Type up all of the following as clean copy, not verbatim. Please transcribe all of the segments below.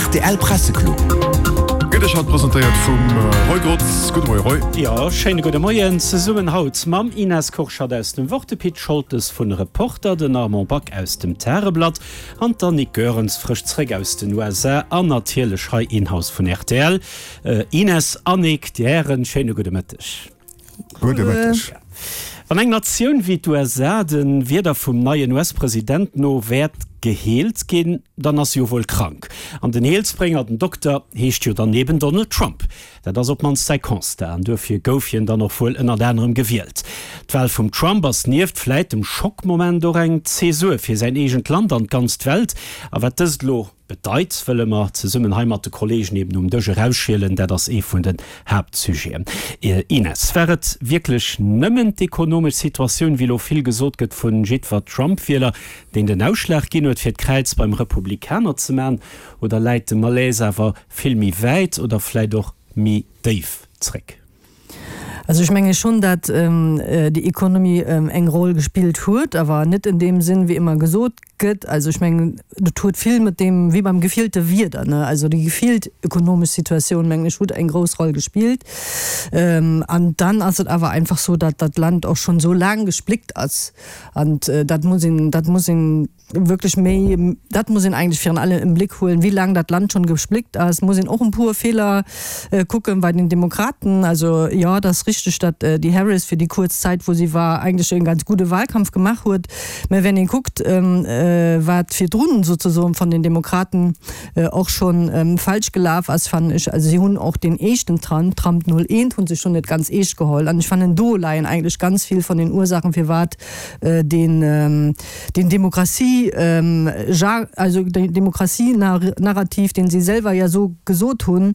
Rtl Presseclub. Gëtt Iech haut presentéiert vum Roy Grotz. Gudde Moie Roy. Jo, schéine gudde Moien zesummen haut mam Ines Kurschat aus dem Wort, de Pit Scholtes vun Reporter, den Armand Back aus dem Tageblatt an d'Annick Goerens frësch zréck aus den USA an natierlech hei in-house vun rtl. Ines, Annick, Dir Hären, schéine gudde Mëtteg. Gudde Mëtteg. Wann eng Natioun wéi d'USA de Wierder vum neien US-President no wäert geheelt ginn, dann ass se jo wuel krank. An den Heelsbrénger, den Dokter, heescht jo dann eben Donald Trump. Dat ass op d'mannst säi Constat an duerfir gouf hien dann och wuel ënnert anerem gewielt. D'Wal vum Trump ass nieft vläit dem Schockmoment och eng Zäsur fir säin eegent Land an d'ganz Welt. A wat dëst elo Bedeit, wëlle mer zesummen hei mat de Kollegen eben um Dësch erausschielen. Dat ass ee vun den Haaptsujeten. Ines, war et wierklech nëmmen d'ekonomesch Situatioun, wéi elo vill gesot gëtt vu jiddwer Trump-Wieler, deen den Ausschlag ginn huet, fir d'Kräiz beim Republikaner ze man, oder läit de Malaise awer vill méi wäit oder vläit och méi déif zréck? Also ech menge schonn, datt déi Economie eng Roll gespillt huet, awer net en deem Sinn, wéi ëmmer gesot gëtt. Also ech mengen, dat huet vill mat deem, wéi beim gefillte Wieder, ne, also déi gefillt ökonomesch Situatioun, mengen ech, huet eng grouss Roll gespillt. An dann ass et awer einfach sou, datt dat Land och schonn esou laang gespléckt ass an dat muss een, dat muss een, wierklech méi, dat muss een eigentlech virun allem im Blick huelen, wéi laang dat Land schonn gespléckt ass, muss een och en puer Feeler kucken bei den Demokraten. Also jo, et ass richteg, datt déi Harris fir déi kuerz Zäit wou si war eigentlech e ganz gudde Wahlkampf gemaach huet, mä wenn ee kuckt wat virdrun sozesoen von den Demokraten och schonn falsch gelaf ass, fannen ech, also si hunn och deen éischten Trump, Trump 01, hu se schonn net ganz eescht geholl an ech fannen do leien eigentlech ganz vill von den Ursachen firwat deen Den Demokratie, also den Demokratie-Narrativ, deen si selwer ja esou gesot hunn,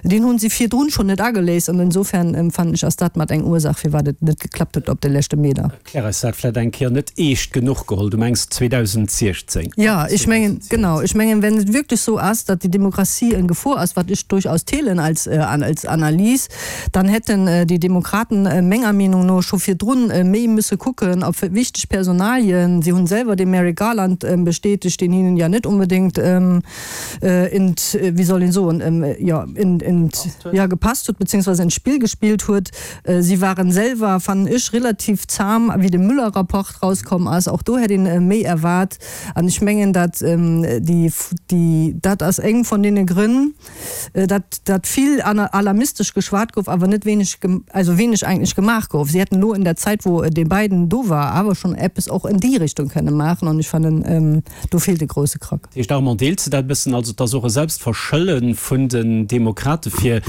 deen hunn si virdrun schonn net ageléist. An insofern fannen ech, ass dat mat eng Ursaach, firwat et net geklappt huet op de leschte Meter. Erklär eis dat vläicht eng Kéier. Net eescht genuch geholl, du mengs 2016? Jo, ech mengen, genau, ech mengen, wenn et wierklech esou ass, datt déi Demokratie en Gefor ass, wat ech durchaus deelen als, als Analys, Dann hätten déi Demokraten menger Meenung no scho virdrun méi müsse kucken op wichteg Personalien. Si hunn selwer de Merrick Garland bestätegt, deen hinnen ja net onbedéngt in, wéi soll een soen, jo, in, ja, gepasst huet, beziehungsweise ins Spill gespillt huet. Si waren selwer, fannen ech, relativ zahm, wéi de Mueller-Rapport rauskomm ass. Och do hätt een méi erwaart. An ech mengen, dat déi, déi, dat ass eng von deene Grënn, dat dat vill alarmistesch geschwat gouf, awer net wéineg, also wéineg eigentlech gemaach gouf. Si hätten elo in der Zäit, wou dee Biden do war, awer schonn eppes och en déi Richtung kënne maachen an ech fannen, do feelt e grousse Krack. Dat heescht, Armand, deels de dat e bëssen? Also et ass och e Selbstverschëllen vun den Demokrate fir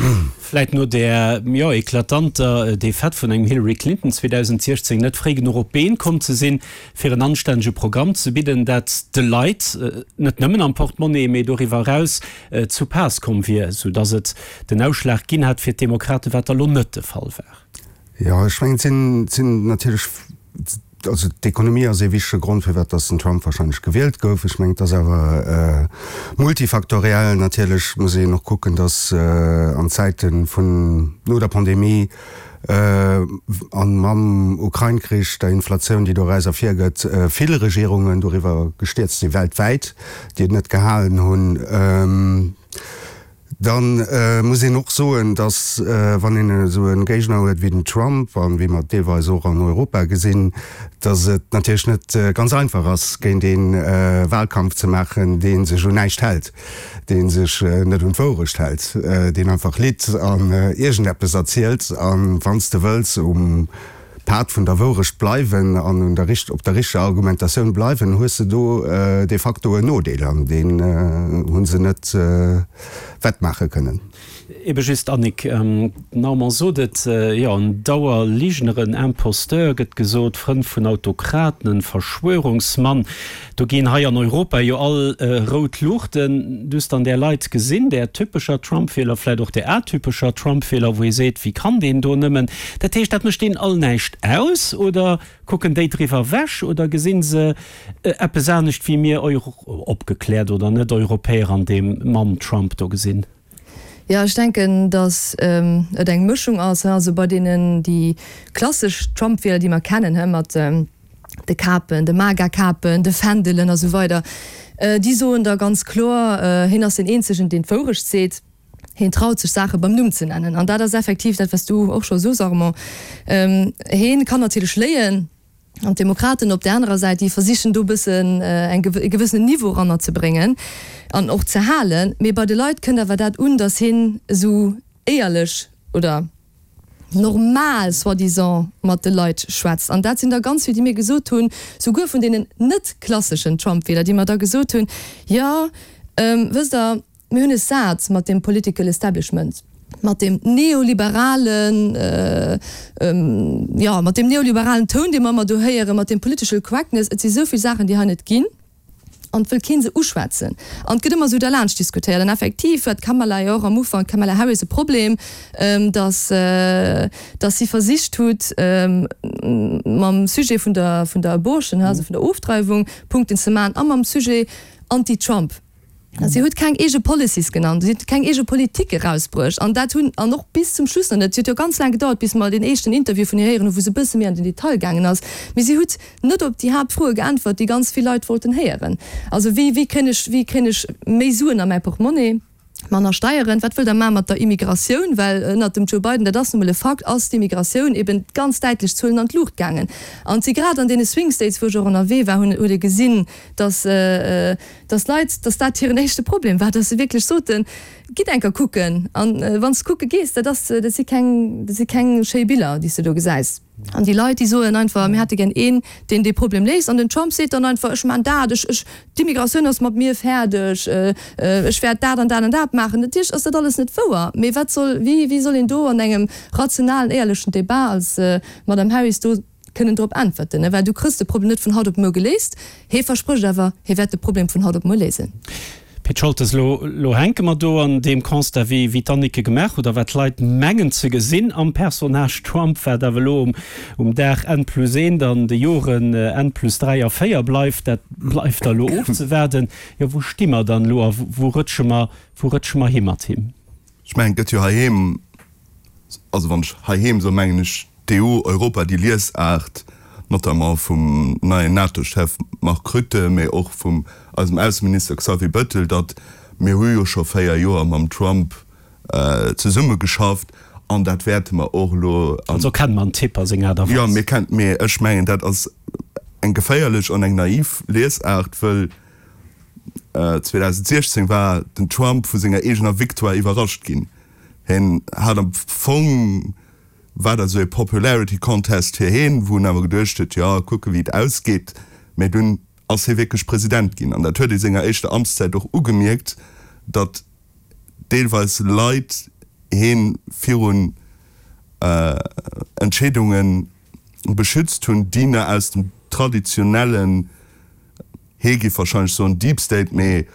vläit no där, jo, eklatanter Defaite vun engem Hillary Clinton 2016 net fréi genuch op d'Been komm ze sinn, fir en anstännege Programm ze bidden, dat de Leit, net nëmmen am Portemonnaie, mee doriwwer eraus, zu Paass komm wier, sou datt et den Ausschlag ginn hätt fir d'Demokraten, wat da lo net de Fall war. Jo, ech mengen, et sinn, et sinn natierlech, also d'Ekonomie ass ee wichtege Grond, firwat datt den Trump wahrscheinlech gewielt gouf. Ech mengen, et ass awer multifaktoriell. Natierlech muss een och kucken, datt an Zäite vun, no der Pandemie, An mam Ukrain-Krich, der Inflatioun, déi doraus ervirgëtt, vill Regierungen doriwwer gestierzt sinn, weltwäit, déi et net gehalen hunn. Da muss een och soen, datt, wann een esou e Géigner huet wéi den Trump, an wéi mer et deelweis och an Europa gesinn, datt et natierlech net ganz einfach ass, géint ee Wahlkampf ze maachen, dee sech un näischt hält. dee sech net un d'Wourecht hält, deen einfach litt an iergendeppes erzielt an, wann s de wëlls, um Pad vun der Wourecht bleiwen an un der op der richteger Argumentatioun bleiwen, hues de do de facto en Nodeel an deen hu se net wettmaache kënnen. Ebe just, Annick, den Armand sot et, jo, en Dauerligner, en Imposteur gëtt gesot, Frënd vun Autokraten, en Verschwörungsmann. Do ginn hei an Europa jo all rout Luuchten. Du hues dann där Leit gesinn, där typescher Trump-Wieler, vläit och där atypescher Trump-Wieler, wou ee seet, wéi kann deen do nëmmen? Dat heescht, dat mécht deenen all näischt aus, oder kucken déi driwwer ewech, oder gesinn se eppes anescht wéi mir, opgekläert oder net Europäer, an deem Mann Trump do gesinn? Jo, ech denken, datt et eng Mëschung ass. Also bei deenen, déi klassesch Trump-Wieler, déi mer kennen, mat. De Kapen, de MAGA-Kapen, de Fändelen a sou weider, déi soen da ganz kloer, hien ass deen eenzegen, deen d'Wourecht seet, hien traut sech Saache beim Numm ze nennen. An dat ass effektiv dat, wat s du och scho sos, Armand, hien kann natierlech léien an d'Demokraten op där anerer Säit, déi versichen do e bëssen eng e gewëssenen Niveau eranner ze bréngen an och ze halen. Mee bei de Leit kënnt awer dat un, datt hien esou éierlech oder, normal soi-disant mat de Leit schwätzt. An dat sinn der ganz vill, déi mir gesot hunn, souguer vun deenen net klasseschen Trump-Wieler, déi mer da gesot hunn, jo, wësst Der, mir hunn es sat mat deem political establishment, mat deem neoliberalen, jo, mat deem neoliberalen Toun, dee mer ëmmer do héieren, mat deem political correctness. Et si sou vill Saachen, déi hei net ginn. An et wëll kee se uschwätzen. An et gëtt ëmmer esou derlaanscht diskutéiert. An effektiv huet d'Kamala jo och am Ufank, d'Kamala Harris, e Problem, datt, datt si versicht hutt, mam Sujet vun der, vun der Abortion, also vun der Ofdreiwung, Punkten ze maachen a mam Sujet Anti-Trump. Si huet keng eege Policies genannt, si huet keng eege Politik erausbruecht. An dat hunn, an och bis zum Schluss nach net, et huet jo ganz laang gedauert, bis mer deen éischten Interview vun hir héieren hunn, wou se e bësse méi an den Detail gaangen ass. Mee si hutt net op déi Haaptfroe geäntwert, déi ganz vill Leit wollten héieren. Also wéi, wéi kréien ech, wéi kréien ech méi Suen a mäi Portemonnaie, manner Steieren, wat wëllt Der maache mat der Immigratioun, well ënnert dem Joe Biden, dat ass nu mol e Fakt, ass d'Immigratioun eben ganz däitlech Zuelen an d'Luucht gaangen. An et si grad an deene Swing States, wou ech och ënnerwee war, hunn, huet ee gesinn, dass, dass d'Leit, dass dat hiren éischte Problem war, dass se wierklech soten, Gitt enker kucken, an wann s de kucke gees, dat ass, dat si keng, dat si keng schéi Biller, déi s de do gesäis. An déi Leit, déi soen einfach, mir hätte gär een, deen dee Problem léist. An den Trump seet dann einfach, ech maachen dat, ech, ech, d'Immigratioun ass mat mir fäerdeg, ech wäert dat an dat an dat maachen. Natierlech ass dat alles net wouer, mee wat soll, wéi, wéi soll een do an engem rationalen, éierlechen Debat als Madame Harris do kënnen drop äntwerten? Well du kriss de Problem net vun haut op muer geléist. Hee versprécht awer, hie wäert de Problem vun haut op muer léisen. Pit Scholtes, Elo, elo hänke mer do an deem Constat, wéi, wéi d'Annick e gemaach huet a wat d'Leit mengen ze gesinn am Personnage Trump, wat awer elo um, um Dag N plus 1 an de Joren N plus 3 a 4 bleift, dat bleift da elo ofzewaarden. Jo, wou sti mer dann elo a wou rëtsche mer, wou rëtsche mer hi mat him? Ech mengen, et gëtt jo heiheem, also wann ech heiheem soen, mengen ech D'EU, Europa, déi Liesaart, notamment vum neien NATO-Chef Mark Rutte, mee och vum eisem Ausseminister Xavier Bettel, datt mir hu jo scho 4 Joer mam Trump zesummegeschafft an dat wäerte mer och elo. Also kenne mer en Typ a seng Aart a Weis. Jo, mir kennen, mee ech mengen, dat ass eng geféierlech an eng naiv Liesaart, wëll 2016 war den Trump vu senger eegener Victoire iwwerrascht ginn. Hien hat am Fong War dat esou ee Popularity Contest fir heen, wou en awer geduecht huet, jo, kucke wéi et ausgeet. Mä dunn ass hie wierklech President ginn. An dat huet ee senger éischter Amtszäit och ugemierkt, datt deelweis Leit hee virun Entscheedunge beschützt hunn, déi na aus dem traditionellen, hee géif wahrscheinlech soen Deep State, mee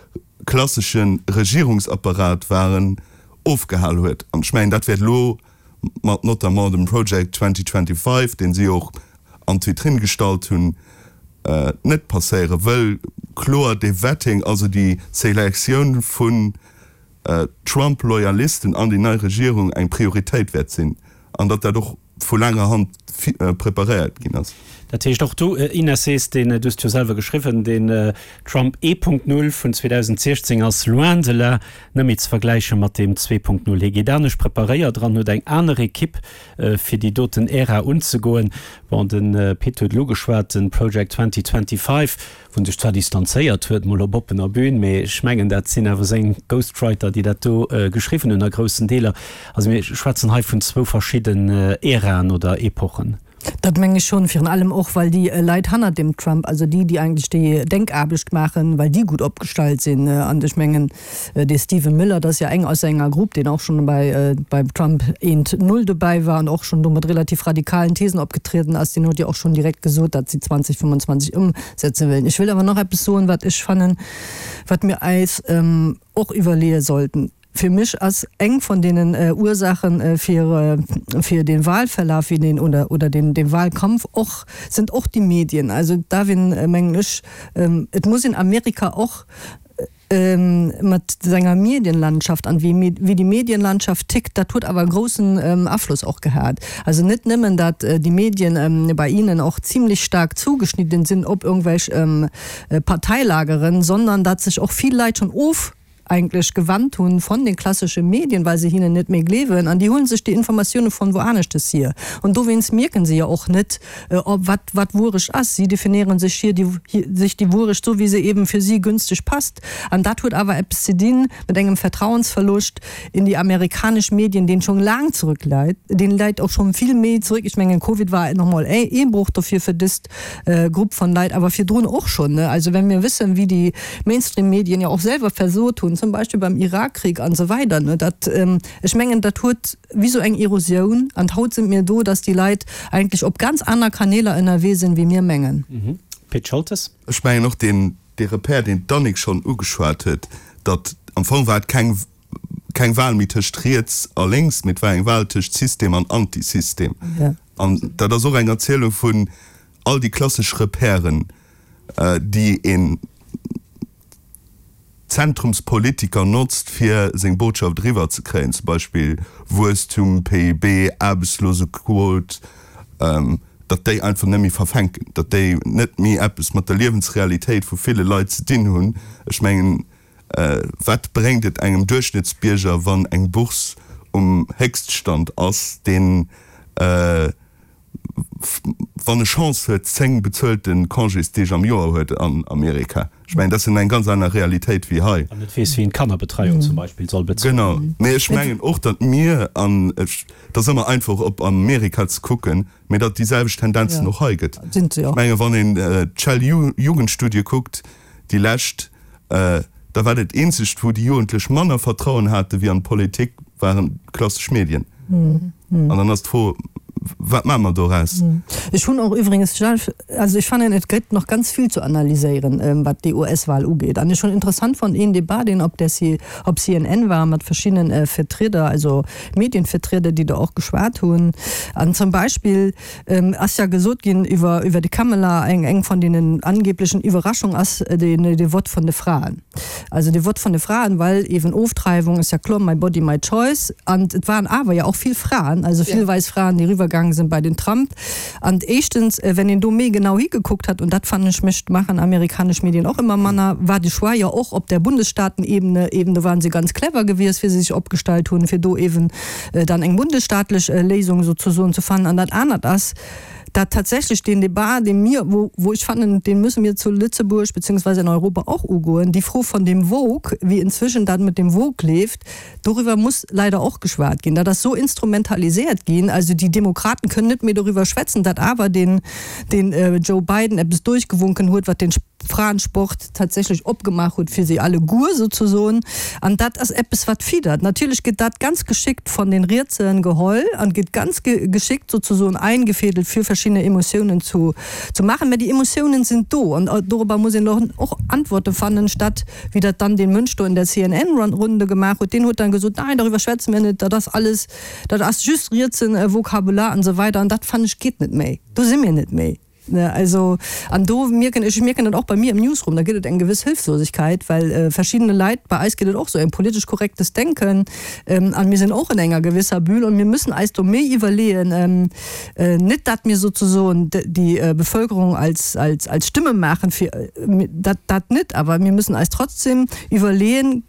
klassesche Regierungsapparat waren, ofgehal huet. An ech mengen, dat wäert elo mat notamment dem Project 2025, deen si och an d'Vitrinn gestallt hunn, net passéieren, wëll kloer dee Vetting, also déi Selektioun vun Trump-Loyalisten an déi nei Regierung eng Prioritéit wäert sinn an datt dat och vu laanger Hand preparéiert ginn ass. Dat heescht och du, Ines, sees, deen, du hues et jo selwer geschriwwen, deen Trump 1.0 vun 2016 ass loin de là net méi ze vergläiche mat deem 2.0. Hie geet anescht preparéiert eran, huet eng aner Ekipp fir déi doten Ära unzegoen. Bon, de Pit huet elo ugeschwat, de Project 2025, wou en sech zwar distanzéiert huet, mol op oppener Bühn, mee ech mengen dat sinn awer seng Ghostwriter, déi dat do geschriwwen hunn a groussen Deeler. Also mir schwätzen hei vun zwou verschidden Äraen oder Epochen. Dat meng ech schonn, virun allem och, well déi Leit hannert dem Trump, also déi, déi eigentlech déi Denkaarbecht maachen, well déi gutt opgestallt sinn. An ech mengen, dee Stephen Miller, dat ass jo eng aus senger Grupp, deen och schonn bei beim Trump eent Null dobäi war an och schonn do mat relativ radikalen Thesen opgetrieden ass, deen huet jo och schonn direkt gesot, datt si 2025 ëmsetze wëllen. Ech wëll awer nach eppes soen, wat ech fannen, wat mir eis och iwwerleeë sollten. Fir mech ass eng vun deenen Ursachen fir fir den Wahlverlaf wéi den oder oder den den Wahlkampf och sind och déi Medien. Also darf een mengen ech, et muss een Amerika och. Mat senger Medienlandschaft an wéi wéi déi Medienlandschaft tickt, dat huet awer e groussen Afloss och gehat. Also net nëmmen dat déi Medien bei ihnen och zimlech staark zugeschnidden sinn op irgendwelch Parteilageren, sondern dat sech och vill Leit schonn of eigentlech gewannt hunn von den klassesche Medien, well se hinnen net méi gleewen an déi huelen sech déi Informatioune von woaneschtes hier an dowéinst mierken se jo och net, Ob wat wat Wuerecht ass. Si definéieren sech hier déi sech déi Wuerecht sou wéi se eben fir si günstig passt. An dat huet awer eppes ze dinn mat engem Vertrauensverlust in déi amerikanesch Medien, deen schonn laang zurück läit, deen läit och schonn vill méi zurück. Ech mengen Covid war nach mol ee Eenbruch dofir fir dëst Grupp von Leit, awer virdrun och schonn, ne. Also wenn mir wëssen wéi déi Mainstream-Medien jo och selwer versot hunn, zum Beispill beim Irakkrieg an esou weider, ne, dat ech mengen dat huet, wéi sou eng Erosioun, an haut sinn mir do, dass déi Leit eigentlech op ganz aner Kaneeler ënnerwee sinn, wéi mir mengen. Pit Scholtes. Ech mengen och deen, dee Repère, deen d'Annick schonn ugeschwat huet, datt am Fong war et keng, keng Wahl méi tëscht riets a lénks, mee et war eng Wahl tëscht System an Antisystem. An dat ass och eng Erzielung vun all déi klassesch Repèren, déi een, Zentrumspolitiker notzt fir seng Botschaft eriwwer ze kréien, zum Beispill Wuesstum, PIB, Aarbechtslosequot, datt déi einfach net méi verfänken, datt déi net méi eppes mat der Liewensrealitéit vu ville Leit ze dinn hunn. Ech mengen, wat bréngt et engem Duerchschnëttsbierger, wann eng Bourse um Héchststand ass, deen, wann e Chance huet, 10 bezuelte Congésdeeg am Joer huet an Amerika. Ech mengen, dat ass eng ganz aner Realitéit wéi hei. An net weess, wéi en d'Kannerbetreiung zum Beispill soll bezuelen. Genau. Mee ech mengen och, datt mir, an et ass ëmmer einfach op Amerika ze kucken, mee datt déi selwecht Tendenzen och hei gëtt. Ech mengen, wann een d'Shell-Jugendstudie kuckt, déi lescht, da war dat eenzegt, wou déi Jugendlech manner Vertrauen hate wéi an d'Politik, waren d'klassesch Medien. An dann ass d'Fro, Wat maache mer doraus? Ech hunn och iwwregens, also ech fannen, et gëtt nach ganz vill ze analyséieren, wat déi US-Wahl ugeet. An ech hunn interessant fonnt een Debat, deen op der op CNN war mat verschiddenen Vertrieder, also Medienvertrieder, déi do och geschwat hunn. An zum Beispill, Ass ja gesot ginn iwwer iwwer de Kamala, eng eng von deenen angeblichen Iwwerraschung ass den de Vott von de Fraen. Also de Vott von de Fraen, well eben Ofdreiwung ass ja kloer, my body my choice. An et waren awer ja och vill Fraen, also vill weis Fraen, déi eriwwer gaange sinn bei den Trump. An éischtens, wenn een do méi genau higekuckt hat, und dat fannen ech mécht maachen amerikanesch Medien och ëmmer manner, war de Choix jo och op der Bundesstaatenebene eben, do waren se ganz clever gewiescht, wéi se sech opgestallt hunn, fir do eben dann eng bundesstaatlech Léisung souzesoen ze fannen. An dat anert ass, dat tatsächlech deen Débat, dee mir, wou, wou ech fannen, dee müsse mir zu Lëtzebuerg beziehungsweise in Europa och ugoen, déi Fro von dem Woke, wéi inzwischen dat mit dem Woke leeft, doriwwer muss leider och geschwat ginn. Dat ass esou instrumentaliséiert ginn, also déi Demokraten kënnen net méi doriwwer schwätzen, dat awer den, den Joe Biden eppes durchgewunken huet, wat den Fraensport tatsächlech opgemaach huet fir si alleguer souzesoen. An dat ass eppes wat fiddert. Natierlech gëtt dat ganz geschickt von den Rietsen geholl an gëtt ganz geschickt souzesoen eingefädelt fir verschiddene Emotiounen zu zu maachen. Mä déi Emotiounen sinn do an dorobber muss een och Antworten fannen, statt wéi dat dann dee Mënsch do in der CNN-Runde gemaach huet. Deen huet dann gesot, nein, darüber schwätzen wir net, dat ass alles, dat ass just rietsen Vokabular an esou weider. An dat fannen ech geet net méi. Do si mir net méi. Ne, also, an do mierken ech, ech mierken dat och bei mir im Newsroom, da gëtt et eng gewëss Hilflosigkeit, well verschiddene Leit, bei eis geet et och sou, en politesch korrektes Denken, an mir sinn och in enger gewisser Bulle und mir müssen eis do méi iwwerleeën, net dat mir sozusoen déi Bevölkerung als, als, als Stimme maachen fir, dat, dat net, awer mir müssen eis trotzdem iwwerleeën,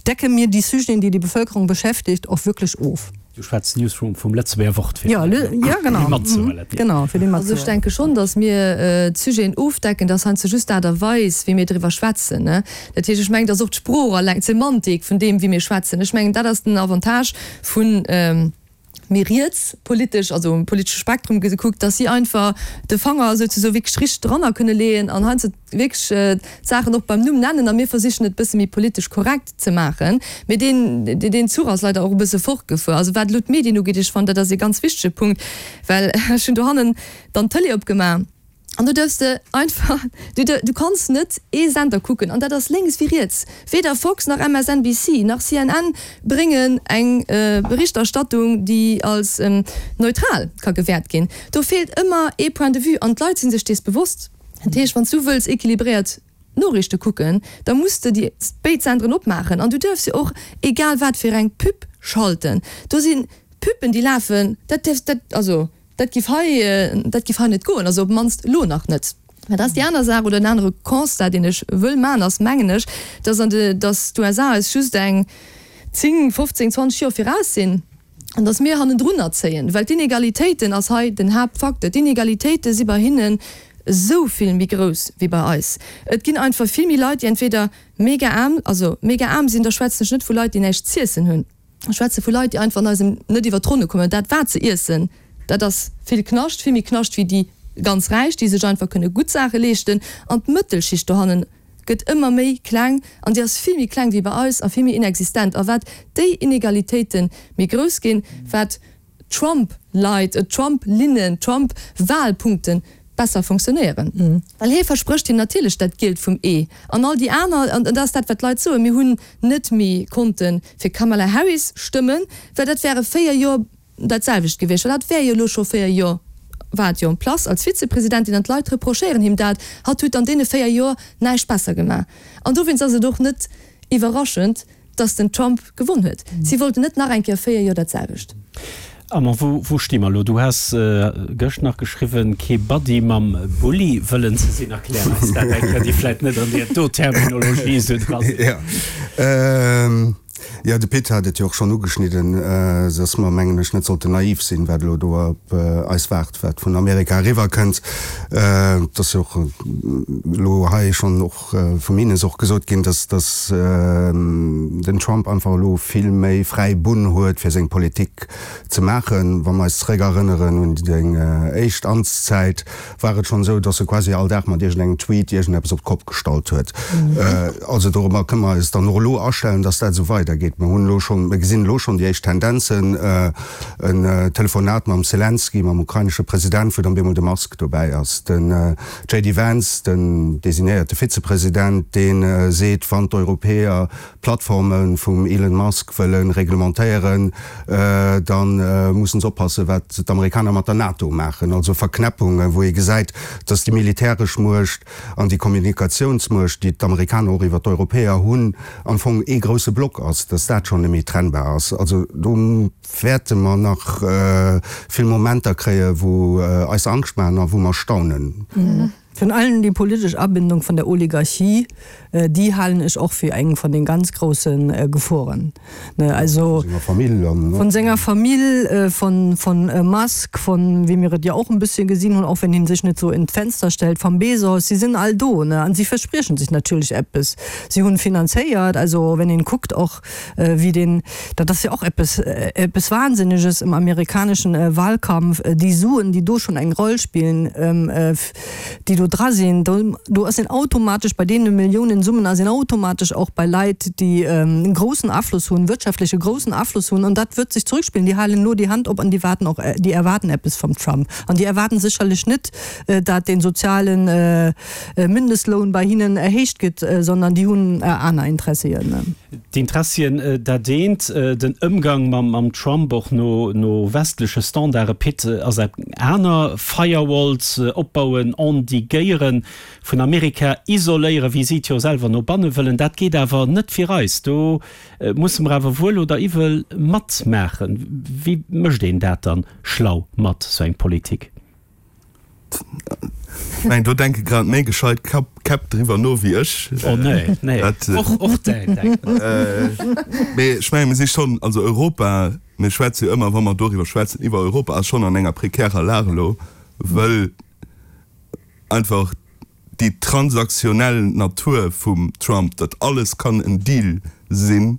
decke mir déi Sujeten, déi die Bevölkerung beschäftigt, och wirklich of. Du schwätz Newsroom vum Lëtzebuerger Wort fir déi matzehuelen. Genau, fir déi matzehuelen. Also ech denke schonn, datt mir d'Sujeten ofdecken, dat ass heiansdo just d'Aart a Weis, wéi mir driwwer schwätzen. Dat heescht, ech mengen, datt och d'Sprooch alleng, d'Semantik vun deem, wéi mir schwätzen, ech mengen, dat ass den Avantage vu méi riets politesch, also um politesche Spektrum gekuckt, datt si einfach de Fanger souzesoe wierklech richteg dranner kënne leeën an heiansdo wierklech d'Saachen och beim Numm nennen a mir versichen et e bësse méi politesch korrekt ze maachen. Mee deen, deen Zuch ass leider och e bësse fortgefuer. Also wat elo d'Medien ugeet, ech fannen, dat ass ee ganz wichtege Punkt, well ech hunn dohannen dann d'Tëlee opgemaach an do duerfs de einfach, du, du kanns net ee Sender kucken an dat ass lénks wéi riets. Weder Fox nach MSNBC nach CNN bréngen eng Berichterstattung, déi als neutral ka gewäert ginn. Do feelt ëmmer ee Point de vue an d'Leit si sech dees bewosst. Dat heescht, wann s du wëlls équilibréiert. d'Noriichte kucken, da muss de déi béid Senderen opmaachen an du duerfs jo och egal wat fir eng Pub schalten. Do si Pubben, déi lafen, dat dierfs, dat, also dat giff hei, dat giff hei net goen, also op d'mannst elo nach net. Mä dat ass déi aner Saach oder en anere Constat, deen ech wëll maachen, ass, mengen ech, dass an de, dass d'USA eis just eng 10, 15, 20 Joer viraus sinn an dass mir hannendrunner zéien, well d'Inegalitéiten ass hei den Haaptfacteur. D'Inegalitéite si bei hinnen esou vill méi grouss wéi bei eis. Et ginn einfach vill méi Leit, déi entweder mega aarm, also mega aarm sinn, da schwätzen ech net vu Leit, déi näischt z'iessen hunn, ech schwätze vu Leit, déi einfach an eisem net iwwer d'Ronne kommen. Dat wat se iessen, dat ass vill Knascht, vill méi Knascht wéi déi ganz Räich, déi sech einfach kënne gutt Saache leeschten. An d'Mëttelschicht dohannen gëtt ëmmer méi kleng an déi ass vill méi kleng wéi bei eis a vill méi inexistent. A wat déi Inegalitéite méi grouss ginn, wat Trump-Leit, Trump-Linnen, Trump-Wahlpunkte besser funktionéieren. Well hie versprécht hinnen natierlech dat Gielt vum Ee. An all déi aner, an dat ass dat, wat d'Leit soen, mir hunn net méi konnte fir Kamala Harris stëmmen, well dat wäre 4 Joer dat selwecht gewiescht, well hatt wär jo elo scho 4 Joer, war et jo en place als Vizepresidentin an d'Leit reprochéieren him dat, hatt huet an deene 4 Joer näischt besser gemaach. An dowéinst ass et och net iwwerraschend, dass den Trump gewonn huet. Si wollten net nach eng Kéier 4 Joer dat selwecht. Armand, wou, wou sti mer elo? Du has gëscht nach geschriwwen, kee Buddy mam Bulli wëllen ze sinn. Erklär eis dat eng Kéier, déi vläit net an deer do Terminologie esou dra sinn. Jo, jo, de Pit hat et jo och schonn ugeschnidden, dass mer, mengen ech, net sollten naiv sinn, wat elo do op eis waart, wat vun Amerika eriwwerkënnt. Et ass jo och elo hei schonn och vum Ines och gesot ginn, dass dass den Trump einfach elo vill méi fräi Bunn huet fir seng Politik ze maachen. Wa mer eis zeréck erënneren un seng éischt Amtszäit, war et schonn esou, dass e quasi all Dag mat iergendengem Tweet iergendeppes op d'Kopp gestallt huet. Also dorobber kënne mer eis dann och elo astellen, dass dat esou weidergeet. Mer hunn elo schonn, mer gesinn elo schonn déi éischt Tendenzen, en Telefonat mam Selenskyj, mam ukrainesche President, wou dann bemol de Musk dobäi ass, den JD Vance, den designéierte Vizepresident, dee seet, wann d'Europäer d'Plattforme vum Elon Musk wëlle reglementéieren, da mussen se oppassen, wat d'Amerikaner mat der NATO maachen. Also Verknäppungen, wou ee gesäit, datt déi militäresch Muecht an déi Kommunikatiounsmuecht, déi d'Amerikaner och iwwer d'Europäer hunn, am Fong ee grousse Block ass, datt dat schonn net méi trennbar ass. Also do. Wäerte mer nach vill Momenter kréie wou eis Angscht maachen a wou mer staunen. Virun allem déi politesch Abindung vun der Oligarchie, déi halen ech och fir eng vun de ganz grousse Geforen. Also vun senger Famill, vun Musk, vun, wéi mir et jo och e bësschen gesinn hunn, och wenn hien sech net sou en d'Fenster stellt, vam Bezos, si sinn all do, ne, an si verspriechen sech natierlech eppes. Si hunn finanzéiert, also wenn een kuckt och, wéi deen, dat ass jo och eppes, eppes Wahnsinneges im amerikaneschen Wahlkampf, déi Suen, déi do schonn eng Roll spillen, déi do dra sinn, do, do ass een automatesch bei deene Milliounensummen ass een automatesch och bei Leit, déi e groussen Afloss hunn, wirtschaftleche groussen Afloss hunn, an dat wërt sech zurückspillen. Déi halen elo déi Hand op an déi waarden och, déi erwaarden eppes vum Trump an déi erwaarden sécherlech net, dat dee sozialen Mindestloun bei hinnen erhéicht gëtt, sondern déi hunn aner Interessien. D'Interessien, dat eent, den Ëmgang mam Trump och no westleche Standarde, Pit, ass dat aner. Firewalls opbauen, endiguéieren, vun Amerika isoléieren, wéi si et jo selwer no banne wëllen, dat geet awer net fir eis. Do musse mer awer wuel oder iwwel matmaachen. Wéi mécht een dat dann schlau mat, sou eng Politik? Ech mengen, do denke grad méi gescheit Käpp driwwer no wéi ech. Oh nee, nee. Dat, och, och däin denkt mat. Mee ech mengen, mir si schonn, also Europa, mir schwätze jo ëmmer, wa mer doriwwer schwätzen, iwwer Europa, ass schonn an enger prekärer Lag elo, wëll einfach déi transaktionell Natur vum Trump, datt alles kann en Deal sinn,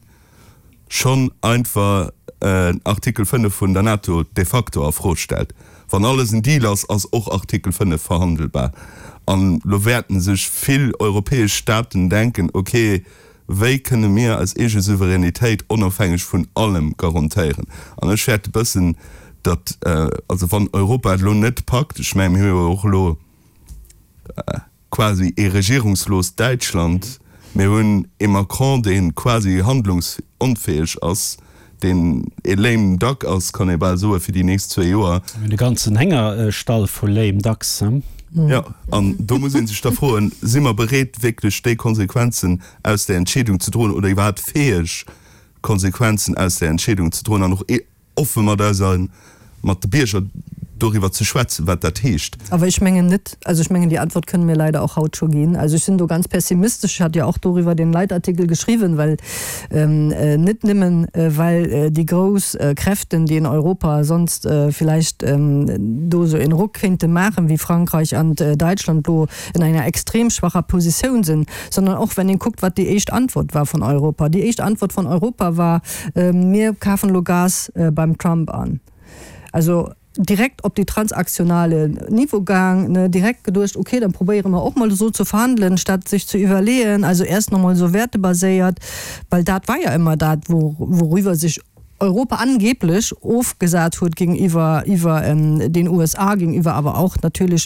schonn einfach Artikel 5 vun der NATO de facto a Fro stellt. Wann alles en Deal ass, ass och Artikel 5 verhandelbar. An elo wäerten sech vill europäesch Staaten denken, ok, wéi kënne mir eis eege Souveränitéit onofhängeg vun allem garantéieren? An ech fäerte bëssen, datt, also wann Europa et elo net packt, ech mengen, mir hu jo och elo, quasi ee regierungsloost Däitschland, mir hunn ee Macron, dee quasi handlungsonfäeg ass, deen ee lame duck ass, kann ee bal soen, fir déi nächst zwee Joer. Mir hunn e ganzen Héngerstall vu lame ducks. Jo, an do muss ee sech da froen, Si mer bereet, wierklech déi Konsequenzen aus där Entscheedung ze droen oder iwwerhaapt fäeg, Konsequenzen aus där Entscheedung ze droen an och offe mat eiser, mat de Bierger doriwwer ze schwätzen, wat dat heescht? Awer ech mengen net, also ech mengen, déi Antwort kënne mir leider och haut scho ginn. Also ech sinn do ganz pessimistesch. Ech hat jo och doriwwer deen Leitartikel geschriwwen, well net nëmmen, well déi grouss Kräften, déi in Europa sonst vielleicht do esou een Ruck kéinte maachen, wéi Frankreich an Däitschland, lo in enger extrem schwacher Positioun sinn, sondern och, wenn een kuckt, wat déi éischt Antwort war vun Europa. Déi éischt Antwort vun Europa war, Mir kafen elo Gas beim Trump an. Also direkt op déi transaktionale Niveau gaang, ne, direkt geduecht, okay, dann probéiere mer och mol esou ze verhandelen, statt sech ze iwwerleeën, also erst noch mol esou wertebaséiert, well dat war ja ëmmer dat, wouriwwer sech Europa angeblech ofgesat huet géintiwwer iwwer den USA, géintiwwer awer och natierlech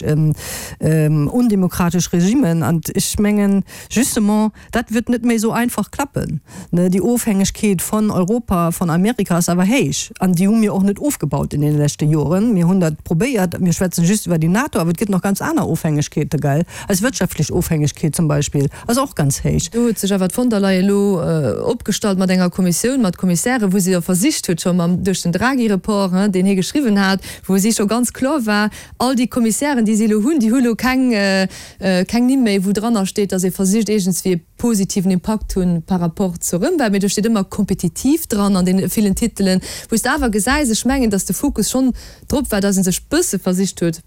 undemokratesch Regimen. An ech mengen justement, dat wird net méi esou einfach klappen. Déi Ofhängegkeet vun Europa, vun Amerika ass awer héich an déi hu mir och net ofgebaut in deene leschte Joren. Mir hunn dat probéiert, mir schwätzen just iwwer déi NATO, awer et gëtt nach ganz aner Ofhängegkeete, gell? Eis wirtschaftlech Ofhängegkeet zum Beispill ass och ganz héich. Do huet sech awer d'Von der Leyen elo opgestallt mat enger Kommissioun, mat Kommissären, wou se jo versicht huet, scho mam, duerch den Draghi-Report, hein, deen hie geschriwwen hat, wou si scho ganz kloer war, all déi Kommissären, déi si elo hunn, déi hu elo keng, keng Nimm méi, wou dranner steet, datt ee versicht iergendswéi e positiven Impakt hunn par rapport zur Ëmwelt, mee do steet ëmmer kompetitiv dran an deene villen Titelen, wou s de awer gesäis, ech mengen, datt de Fokus schonn drop war, datt ee sech bësse versicht huet,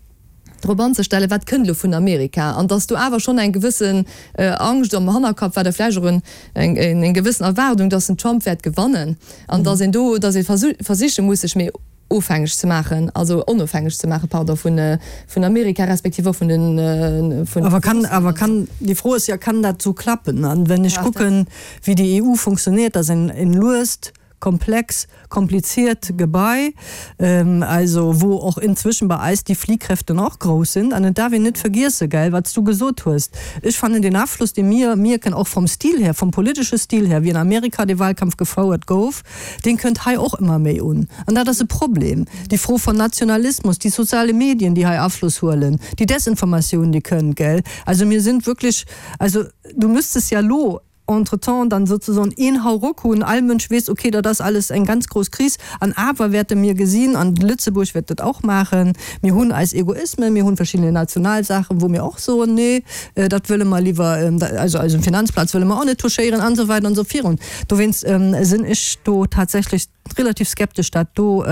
drop anzestellen, wat kënnt elo vun Amerika, an datt do awer schonn eng gewëssen Angscht am Hannerkapp war, oder vläicht och eng gewëssen Erwaardung, datt den Trump wäert gewannen an datt een do, datt ee versiche muss, sech méi ofhängeg ze maachen, also onofhängeg ze maachen, pardon, vun Amerika respektiv och vun den, vun. Awer kann, awer kann, déi Fro ass jo, kann dat esou klappen? An wenn ech kucken, wéi déi EU funktioniert, dat ass en luest, komplex, kompliziert Gebai, also wou och inzwischen bei eis déi Fliehkräften och grouss sind. An et darf een net vergiessen, gell, wat s du gesot hues, ech fannen den Afloss, dee mir mierken, och vom Stil her, vom politesche Stil her, wéi an Amerika dee Wahlkampf gefouert gouf, deen kënnt hei och ëmmer méi un. An dat ass e Problem. Déi Fro von Nationalismus, déi soziale Medien, déi hei Afloss huelen, déi Desinformatioun, déi kënnt, gell. Also mir sind wirklich, also du müsstest ja elo entretemps dann sozusagen een Hauruck hunn, all Mënsch weess, okay, dat ass alles eng ganz grouss Kris, an awer wäerte mir gesinn, an Lëtzebuerg wäert dat och maachen, mir hunn eis Egoismen, mir hunn verschiddene national Saachen, wou mir och soen, nee, dat wëlle mer liwwer, also eisem Finanzplaz wëlle mer och net touchéieren an esou weider an esou virun. Dowéinst sinn ech do tatsächlech relativ skeptesch, dat do,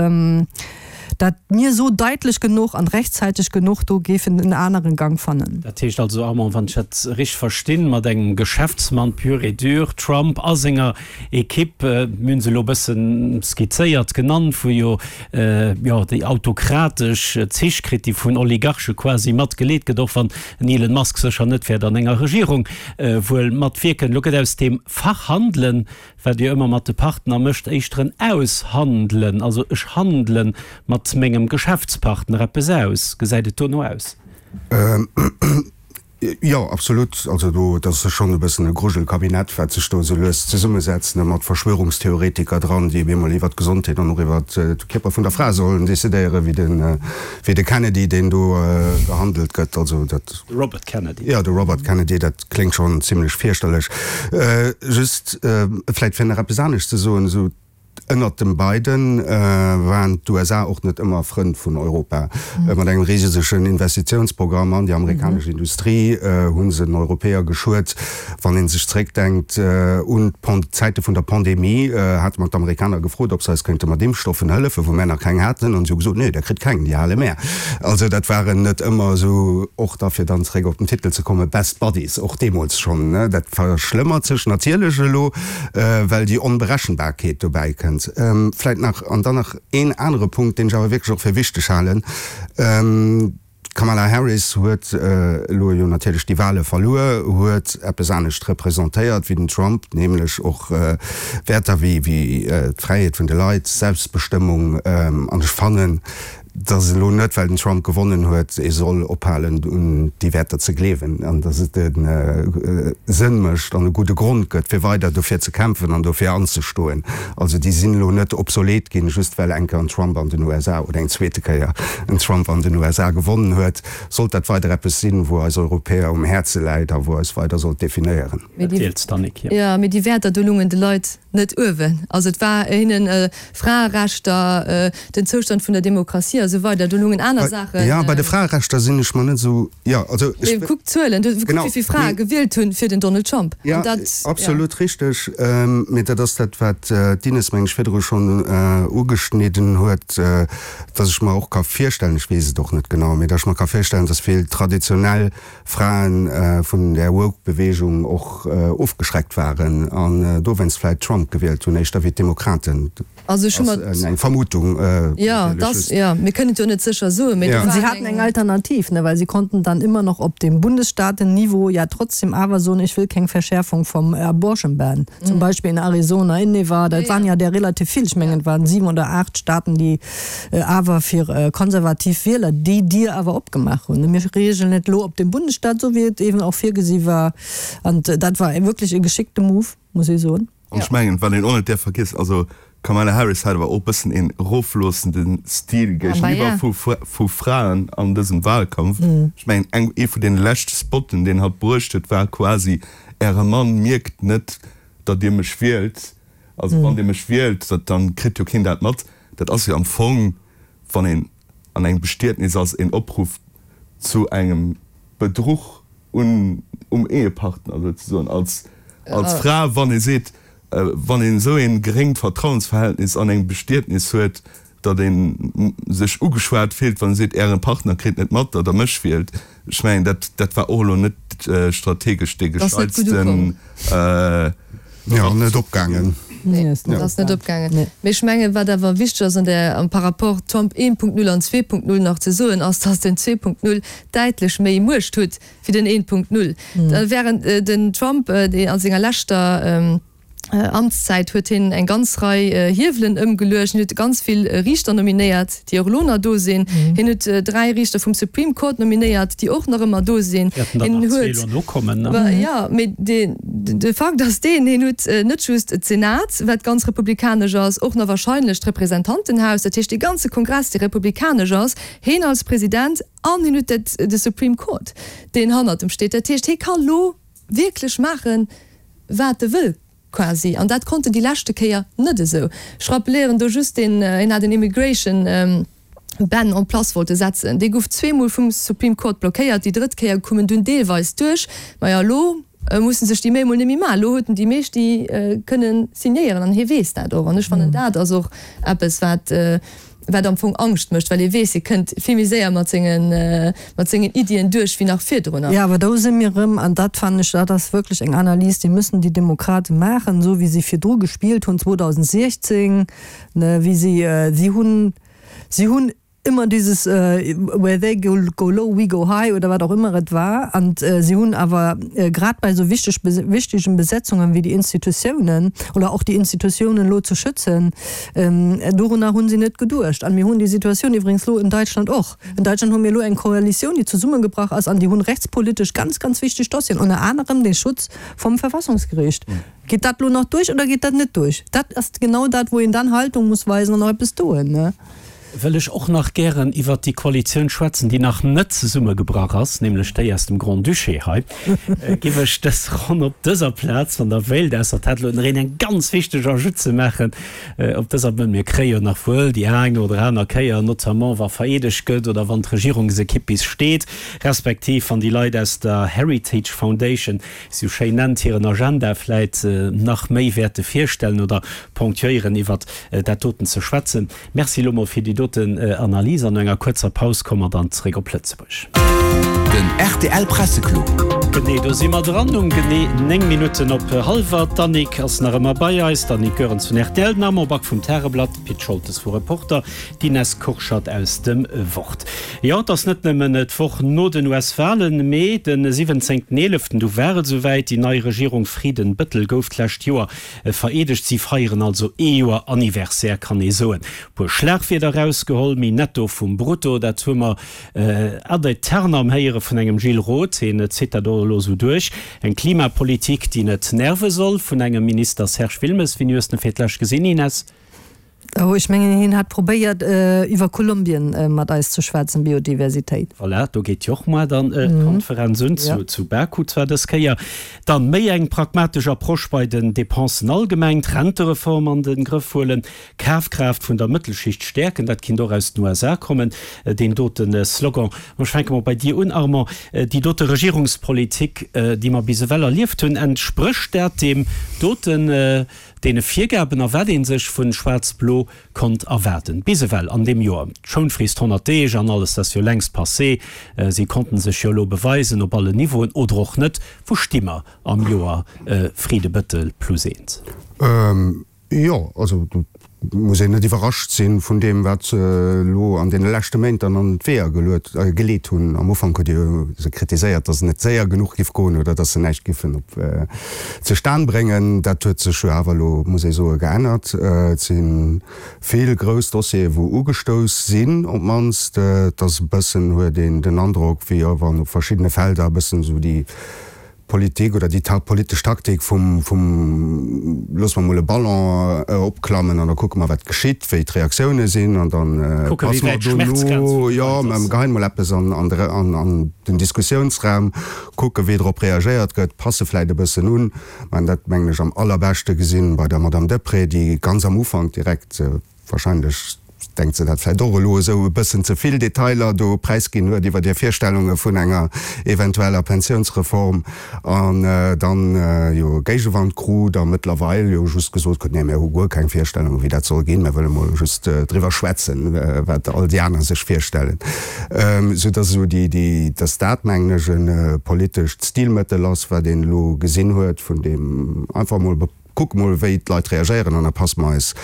dat mir esou daitlech genuch an rechtzeitig genuch do géifen en aneren Gang fannen. Dat heescht also, Armand, wann ech dat richteg verstinn, mat engem Geschäftsmann pur et dur, Trump, a senger Equipe, mir hunn se elo e bësse skizzéiert genannt, wou jo, jo, déi autokratesch Zich kritt, déi vun Oligarche quasi mat geleet gëtt, och wann den Elon Musk sécher net wäert an enger Regierung wuel matwierken. Elo gëtt aus deem Verhandelen, wat Dir ëmmer mat de Partner mécht, éischter en Aushandelen, also ech handele mat mengem Geschäftspartner eppes aus. Gesäit et dono aus? Jo, absolut. Also do, dat ass schonn e bëssen e Grujelkabinett, wat sech do esou lues zesummesetzt, ne, mat Verschwörungstheoretiker dran, déi op eemol iwwert d'Gesondheet an och iwwert de Kierper vun der Fra sollen decidéieren, wéi de, wéi de Kennedy, deen do gehandelt gëtt. Also dat. De Robert Kennedy. Jo, de Robert Kennedy, dat kléngt schonn zimlech fierchterlech. Just vläicht fir nach eppes anescht ze soen, esou Ënnert dem Biden waren d'USA och net ëmmer Frënn vun Europa. Mat engem risegen Investitiounsprogramm an déi amerikanesch Industrie hu se den Europäer geschuet. Wann ee sech zeréckdenkt un d'Zäite vun der Pandemie, hate mer d'Amerikaner gefrot, ob se eis kéinte mat Impfstoffen hëllefen, wou mär nach keng haten. An si hu gesot, Nee, der kritt keng, déi hale mär. Also dat waren net ëmmer esou, och da fir dann zeréck op den Titel ze kommen, Best Buddies, och deemools schonn. Dat verschlëmmert sech natierlech elo. well déi Onberechenbarkeet dobäi kënnt. Vläicht nach, an dann nach een anere Punkt, deen ech awer wierklech och fir wichteg halen, D'Kamala Harris huet elo jo natierlech déi Wahle verluer, huet eppes anescht representéiert wéi den Trump, nämlech och Wäerter wéi d'Fräiheet vun de Leit, Selbstbestëmmung. An ech fannen. Dass elo net, well den Trump gewonnen huet, ee soll ophalen un déi Wäerter ze gleewen an dass et e Sënn mécht an e gudde Grond gëtt, fir weider dofir ze kämpfen an dofir anzestoen. Also déi sinn elo net obsolet ginn, just well eng Kéier en Trump an den USA oder eng zweete Kéier en Trump an den USA gewonnen huet. Sollt dat weider eppes sinn, wou eis Europäer um Häerze läit a wou eis weider sollt definéieren. Mee déi Wäerter, do lungen de Leit net uewen. Also et war hinnen Fraerechter, den Zoustand vun der Demokratie a sou weider, do lungen aner Saachen. Jo, bei de Fraerechter sinn ech mer net esou, jo, also ech. Mee kuck d'Zuelen, kuck wéi vill Frae gewielt hunn fir den Donald Trump. Jo, absolut richteg. Mee dat ass dat, wat d'Ines, meng ech, virdru schonn ugeschnidden huet, dass ech mer och ka virstellen, ech weess et och net genau, mee dass ech mer ka virstellen, dass vill traditionell Fraen vun där Woke-Beweegung och ofgeschreckt waren an dowéinst vläit Trump gewielt hunn, éischter wéi d'Demokraten. Also ech hu mer. Ass eng Vermutung Jo, dass, jo, mir kënnen et jo net sécher soen, mee do war. Si haten eng Alternativ, ne, well si konnten dann immer noch op dem Bundesstaatenniveau ja trotzdem awer soen, ich will keng Verschärfung vom Abortion Ban, zum Beispill in Arizona, in Nevada, et waren ja där relativ vill, ech mengen et waren 7 oder 8 Staaten, déi awer fir konservativ Wieler déi Dier awer opgemaach hunn. Mir reegelen et elo op dem Bundesstaat, esou wéi et eeben och virgesi war. An dat war wierklech e geschickte Move, muss ee soen. An ech mengen, wat een och net däerf vergiessen, also d'Kamala Harris hat awer och e bëssen een erofloossende Stil géigeniwwer vu Fraen an dësem Wahlkampf. Ech mengen, eng, ee vun deene leschte Spotten, deen hatt bruecht huet, war quasi, Äre Mann mierkt net, datt Dir mech wielt. Also wann Dir mech wielt, dann kritt jo keen dat mat. Dat ass jo am Fong, wann een an engem Bestietnis ass, een Opruff zu engem Bedruch un, um Ehepartner souzesoen. Als, als Fra, wann ee seet, wann een esou ee geréngt Vertrauensverhältnis an engem Bestietnis huet, datt ee sech ugeschwat fillt, wann ee seet, Äre Partner kritt net mat, datt Der mech wielt. Ech mengen, dat, dat war och elo net strategesch dee gescheitsten. Jo, net opgaangen. Nee, dat ass net opgaangen. Mee ech mengen, wat awer wichteg ass an där, am par rapport Trump 1.0 an 2.0 nach ze soen, ass, datt den 2.0 däitlech méi Muecht huet wéi den 1.0. Während den Trump, dee a senger leschter Amtszäit huet hien eng ganz Rei Hiewelen ëmgeluecht. Hien huet ganz vill Riichter nominéiert, déi och elo nach do sinn. Hien huet 3 Riichter vum Supreme Court nominéiert, déi och nach ëmmer do sinn. Wäerten der nach zwee elo nokommen, ne? Jo, mee de Fakt ass deen, hien huet net just d'Senat, wat ganz republikanesch ass, och nach wahrscheinlech d'Representantenhaus, dat heescht dee ganze Kongress, dee republikanesch ass, hien als President, an hien huet de Supreme Court, deen hannert em steet. Dat heescht, hie ka lo wierklech maachen, wat e wëll quasi. An dat konnt en déi leschte Kéier net esou. Ech rappelieren do just deen, hien hat en Immigration Ban en place wollte setzen. Dee gouf zweemol vum Supreme Court blockéiert. Déi drëtt Kéier koum en dunn deelweis duerch. Majo, elo musse sech déi Méi emol net méi maachen. Elo huet en déi meescht, déi kënnen signéieren. An hie weess dat och. An ech fannen, dat ass och eppes, wat wat am Fong Angscht mécht, well ee weess, e kënnt vill méi séier mat sengen, mat sengen Iddien duerch wéi nach virdrunner. Jo, awer do si mir erëm, an dat fannen ech, dat ass wierklech eng Analys, déi müssen déi Demokrate maachen, esou wéi si virdru gespillt hunn 2016, ne, wéi si, si hunn, si hunn immer dieses where they go low, we go high oder wat och ëmmer et war. An si hunn awer grad bei esou wichteg, wichtegen Besetzungen wéi déi Institutiounen oder och déi Institutiounen elo ze schützen, Dorunner hunn si net geduecht. An mir hunn déi Situatioun iwwregens elo in Deutschland och. In Deutschland hu mir elo eng Koalitioun, déi zesummegebrach ass, an déi hunn rechtspolitesch ganz, ganz wichteg Dossieren, ënner anerem dee Schutz vum Verfassungsgericht. Geet dat elo nach duerch oder geet dat net duerch? Dat ass genau dat, wou een dann Haltung muss weisen an och eppes doen. Wëll ech och nach gären iwwert déi Koalitioun schwätzen, déi nach net zesummegebrach ass, nämlech déi aus dem Grand-Duché hei, giff ech dës Ronn op dëser Plaz, wann Der wéilt, ausser et hätt elo nach een eng ganz wichteg Ajoute ze maachen op dëser, mä mir kréie jo nach wuel déi eng oder aner Kéier, notamment wa vereedegt gëtt oder wann d'Regierungsekipp bis steet, respektiv wann déi Leit aus der Heritage Foundation, wéi se sou schéin nennt, hiren Agenda vläit nach méi wäerte virstellen oder ponctuéieren, iwwert dat doten ze schwätzen. Merci elo mol fir déi doten Analys an no enger kuerzer Paus komme mer dann zeréck op Lëtzebuerg. Den rtl Presseclub. Genee, do si mer dran um genee 9 Minutten op hallwer. D'Annick ass nach ëmmer bei eis, d'Annick Goerens vun rtl, den Armand Back vum Tageblatt, de Pit Scholtes vu Reporter, d'Ines Kurschat aus dem Wort. Jo, et ass net nëmmen d'Woch no den US-Walen, mee de 17. Eeleften, du war et esouwäit, déi nei Regierung Frieden-Bettel gouf d'lescht Joer vereedegt. Si feieren also ee Joer Anniversaire, kann ee soen. Puer Schlagwierder erausgeholl, méi Netto vum Brutto, dat hu mer Ad aeternam héiere vun engem Gilles Roth, hien zitt dat och elo esou duerch. Eng Klimapolitik, déi net nerve soll, vun engem Minister Serge Wilmes. Wéini hues de en fir d'lescht gesinn, Ines? Oh, ech mengen, hien hat probéiert, iwwer Kolumbien mat eis ze schwätzen, Biodiversitéit. Voilà, do geet jo och moar dann d'Konferenz un, zu Baku zwar dës Kéier. Dann méi eng pragmatesch Approche bei den Dépensen allgemeng, d'Rentereform an de Grëff huelen, Kafkraaft vun der Mëttelschicht stäerken, dat kinnt och aus den USA kommen, deen dote Slogan. Ech fänke mol bei dir un, Armand. Déi dote Regierungspolitik, déi mer bis ewell erlieft hunn, entsprécht dat deem doten, deene Virgaben a wat ee sech vu Schwaarz-Blo konnt erwaarden bis ewell an deem Joer? D'Schounfrist 100 Deeg an alles, dat ass jo längst passé. Si konnten sech jo elo beweisen op allen Niveauen oder och net. Wou sti mer am Joer Fridde-Bëttel plus eent? Jo, also do muss een net iwwerrascht si vun deem, wat se elo an deene leschte Méint dann an d'Weeër geleet hunn. Am Ufank hutt Dir se kritiséiert, datt et net séier genuch giff goen oder datt se näischt giffen op zustan bréngen. Dat huet sech jo awer elo, muss ee soen, geännert. Et si vill grouss Dossiere wou ugestouss sinn op d'mannst. Et ass e bëssen, huet een den Androck, wéi wann op verschiddene Felder e bëssen esou déi Politik oder déi politesch Taktik vum vum loosse mer mol e Ballon opklammen an da kucke mer wat geschitt, wéi d'Reaktioune sinn an da passe mer dono, jo mer geheien mol eppes an an de an an den Diskussiounsraum, kucke wéi drop reagéiert gëtt, passe vläit e bëssen un. Mer hunn dat mengen ech am allerbeschte gesinn bei der Madame Deprez, déi ganz am Ufank direkt, Wahrscheinlech denkt se dat vläit och elo, esou e bëssen ze vill Detailer do präisginn huet iwwer hir Virstellunge vun enger eventueller Pensiounsreform an dann jo Géigewand krut a mëttlerweil jo just gesot krut, nee mir hu guer keng Virstellunge wéi dat soll ginn, mir wëlle mol just driwwer schwätzen, wat all déi aner sech virstellen. Sou dass esou déi, déi, dass dat mengen ech e politescht Stilmëttel ass, wat een elo gesinn huet, vun deem einfach mol Kucke mol, wéi d'Leit reagéieren an da passe mer eis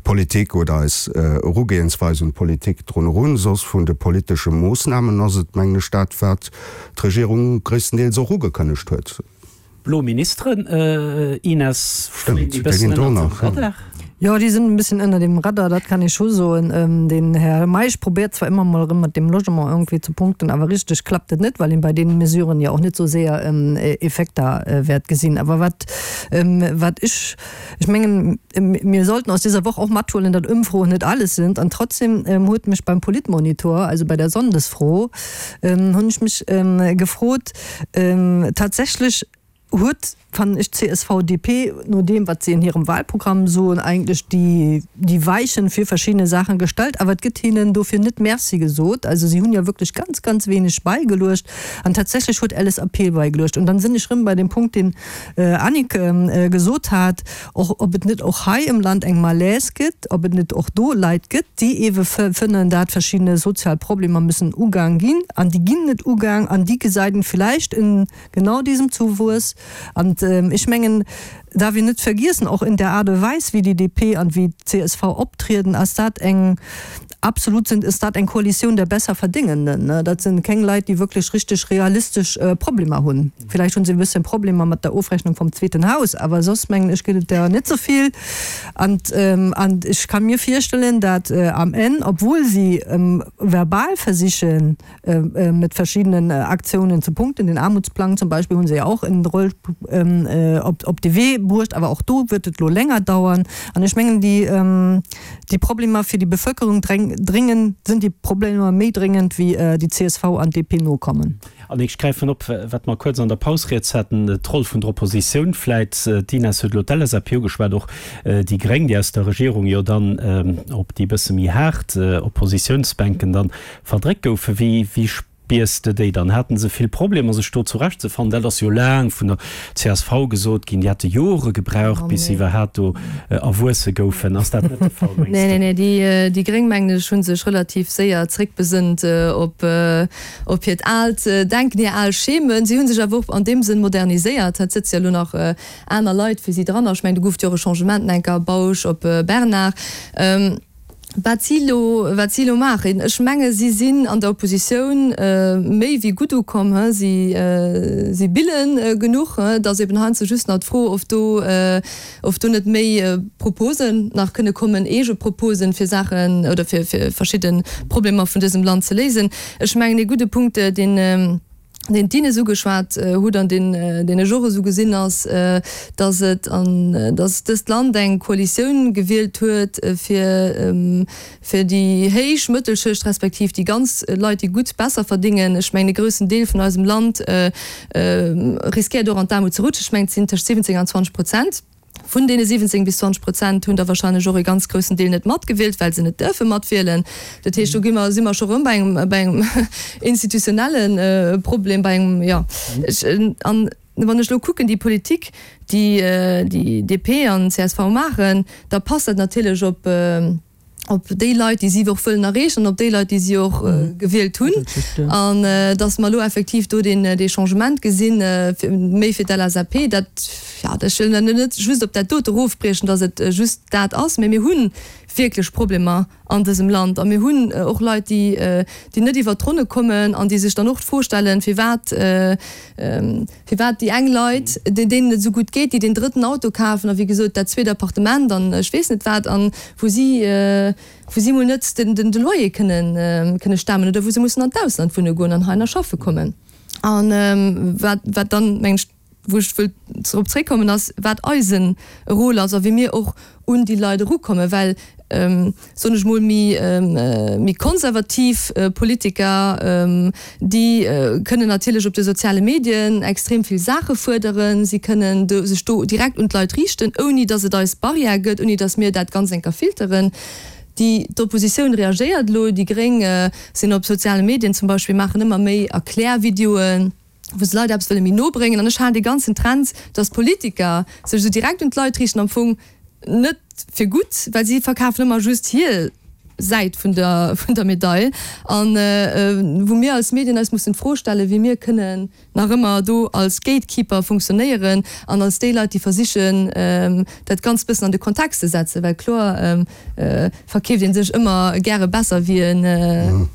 Politik oder eis Erugehensweis un d'Politik drun erun. Soss vun de politesche Moossnamen ass et, mengen ech, dat, wat d'Regierung gréisstendeels och ugekënnegt huet. Blo Ministeren, Ines, fléien déi bëssen ënnert dem Radar? Jo, déi sinn e bëssen ënner dem Radar, dat kann ee scho soen. Den Här Meisch probéiert zwar ëmmer mol erëm mat deem Logement iergendwéi ze punkten, awer richteg klappt et net, well een bei deene Mesuren jo och net esou séier Effekter wäert gesinn. Awer wat Wat ech, ech mengen, mir sollten aus dieser Woch och mathuelen, datt Ëmfroen net alles sind. An trotzdem huet mech beim Politmonitor, also bei der Sonndesfro, hunn ech mech gefrot, tatsächlech huet, fannen ech, d'CSV-DP, no deem wat si an hirem Wahlprogramm soen, eigentlech déi, déi Weichen fir verschiddene Saachen gestallt, awer et gëtt hinnen dofir net Merci gesot. Also si hunn jo wierklech ganz, ganz wenig beigeluecht. An tatsächlech huet LSAP beigeluecht. Und dann sinn ech rëm bei deem Punkt, deen Annick gesot hat, och ob et net och hei im Land eng Malaise gëtt, ob et net och do Leit gëtt, déi ewe fënnen, dat verschiddene sozial Problemer müssen ugaang ginn an déi ginn net ugaang an déi gesäit een vielleicht in genau diesem Zuwuess. An ech mengen, darf een net vergiessen, och in der Art und Weis wéi déi DP an wéi d'CSV optrieden, ass dat eng Absolut sind, ist dat eng Koalitioun der Besserverdingenden. Dat sinn keng Leit, déi wierklech richteg realistesch Problemer hunn. Villäicht hunn se e bësschen Problemer mat der Ofrechnung vom zweeten Haus, awer soss mengen ech gëtt et der net sou vill. An an ech ka mir virstellen, dat am Enn, obwuel si verbal versichen, mit verschiedenen Aktionen zu punkten, den Armutsplang zum Beispiel hunn se jo och in d'Roll op op de Wee bruecht, awer och do wird et lo länger dauern. An ech mengen déi déi Problemer fir déi Bevölkerung dréngen, sinn déi Problemer méi dréngend wéi déi csv an DP nokommen. An ech gräifen op, wat mer kuerz an der Paus rieds haten, d'Roll vun der Oppositioun vläit. D'Ines huet elo d'LSAP ugeschwat, och déi Gréng, déi aus der Regierung jo dann op déi bësse méi haart Oppositiounsbänken dann verdréckt goufen. Wéi, wéi. Biers de déi dann? Haten se vill Problemer sech do zurecht ze fannen? Dat ass jo laang vun der csv gesot ginn, déi hätte Jore gebraucht bis se iwwerhaat do erwuesse goufen. Ass dat net de Fall mengs de? Nee, nee, nee, déi Gréng mengen ech hu sech relativ séier zréckbesënnt op op hiert aalt Denken, hir al Schemen. Si hu sech awer och an deem Sënn moderniséiert. Et sëtze jo elo nach aner Leit fir si dran. Ech mengen do gouf et jo och e Changement, Enker Bausch op Bernard. Wat si elo, wat si elo maachen, ech menge si sinn an der Oppositioun méi wéi gutt ukomm. Si, si bille genuch. Et ass eben heiansdo just nach d'Fro, ob do, ob do net méi Proposen nach kënne kommen, eege Proposen, fir Saachen oder fir, fir verschidde Problemer vun dësem Land ze léisen. Ech mengen ee gudde Punkt, deen, deen d'Ines ugeschwat hutt an deen, deen ech och esou gesinn, ass, dass et an, dass dëst Land eng Koalitioun gewielt huet, fir, fir déi héich Mëttelschicht respektiv déi ganz Leit, déi gutt besser verdingen. Ech mengen, e groussen Deel vun eisem Land riskéiert och an d'Aarmut ze rutschen. Ech mengen, et sinn tëscht 17 an 20 Prozent. Vun deene 17 bis 20 Prozent hunn der wahrscheinlech och ee ganz groussen Deel net matgewielt, well se net duerfe matwielen. Dat heescht, do gi mer, si mer scho rëm bei engem, bei engem institutionelle Problem, bei engem, jo. Ech, an wann ech elo kucken, déi Politik, déi déi DP an csv maachen, da passt dat natierlech op, op déi Leit, déi si och wëllen erreechen an op déi Leit, déi si och gewielt hunn. An datt mer elo effektiv do deen, dee Changement gesinn, méi fir d'LSAP, dat, jo, ech wëll net just op dat dote erofbriechen, datt et just dat ass, mä mir hu wierklech Problemer an dësem Land a mir hunn och Leit, déi, déi net iwwert d'Ronne kommen an déi sech dann och d'Fro stellen, firwat, Firwat déi eng Leit, deenen et esou gutt geet, déi deen drëtten Auto kafen a wéi gesot dat zweet Appartement an ech weess net wat, an wou si, wou si mol net den, de Loyer kënnen, kënne stemmen oder wou se mussen an d'Ausland wunne goen an heihinner schaffe kommen. A wat, wat dann, mengen ech, wou ech wëll drop zréckkommen, ass, wat eise Rôle ass a wéi mir och un déi Leit erukommen, well, soen ech mol, méi, méi konservativ Politiker, déi kënnen natierlech op de soziale Medien extrem vill Saache fuerderen. Si kënnen do, sech do direkt un d'Leit riichten, ouni datt et eis Barrière gëtt, ouni datt mir dat ganz enker filteren. Déi, d'Oppositioun reagéiert elo, déi Gréng sinn op soziale Medien zum Beispill, maachen ëmmer méi Erklärvideoen. wou se Leit eppes wëlle méi no bréngen. An ech halen dee ganzen Trend, dass Politiker sech esou direkt un d'Leit riichten, am Fong net fir gutt, well si verkafen ëmmer just hir Säit vun der, vun der Medail. An wou mir als Medien eis mussen d'Fro stellen, wéi mir kënnen nach ëmmer do als Gatekeeper funktionéieren an als déi Leit, déi versichen, dat Ganzt bëssen an de Kontext ze setzen, well kloer verkeeft een sech ëmmer gäre besser wéi en,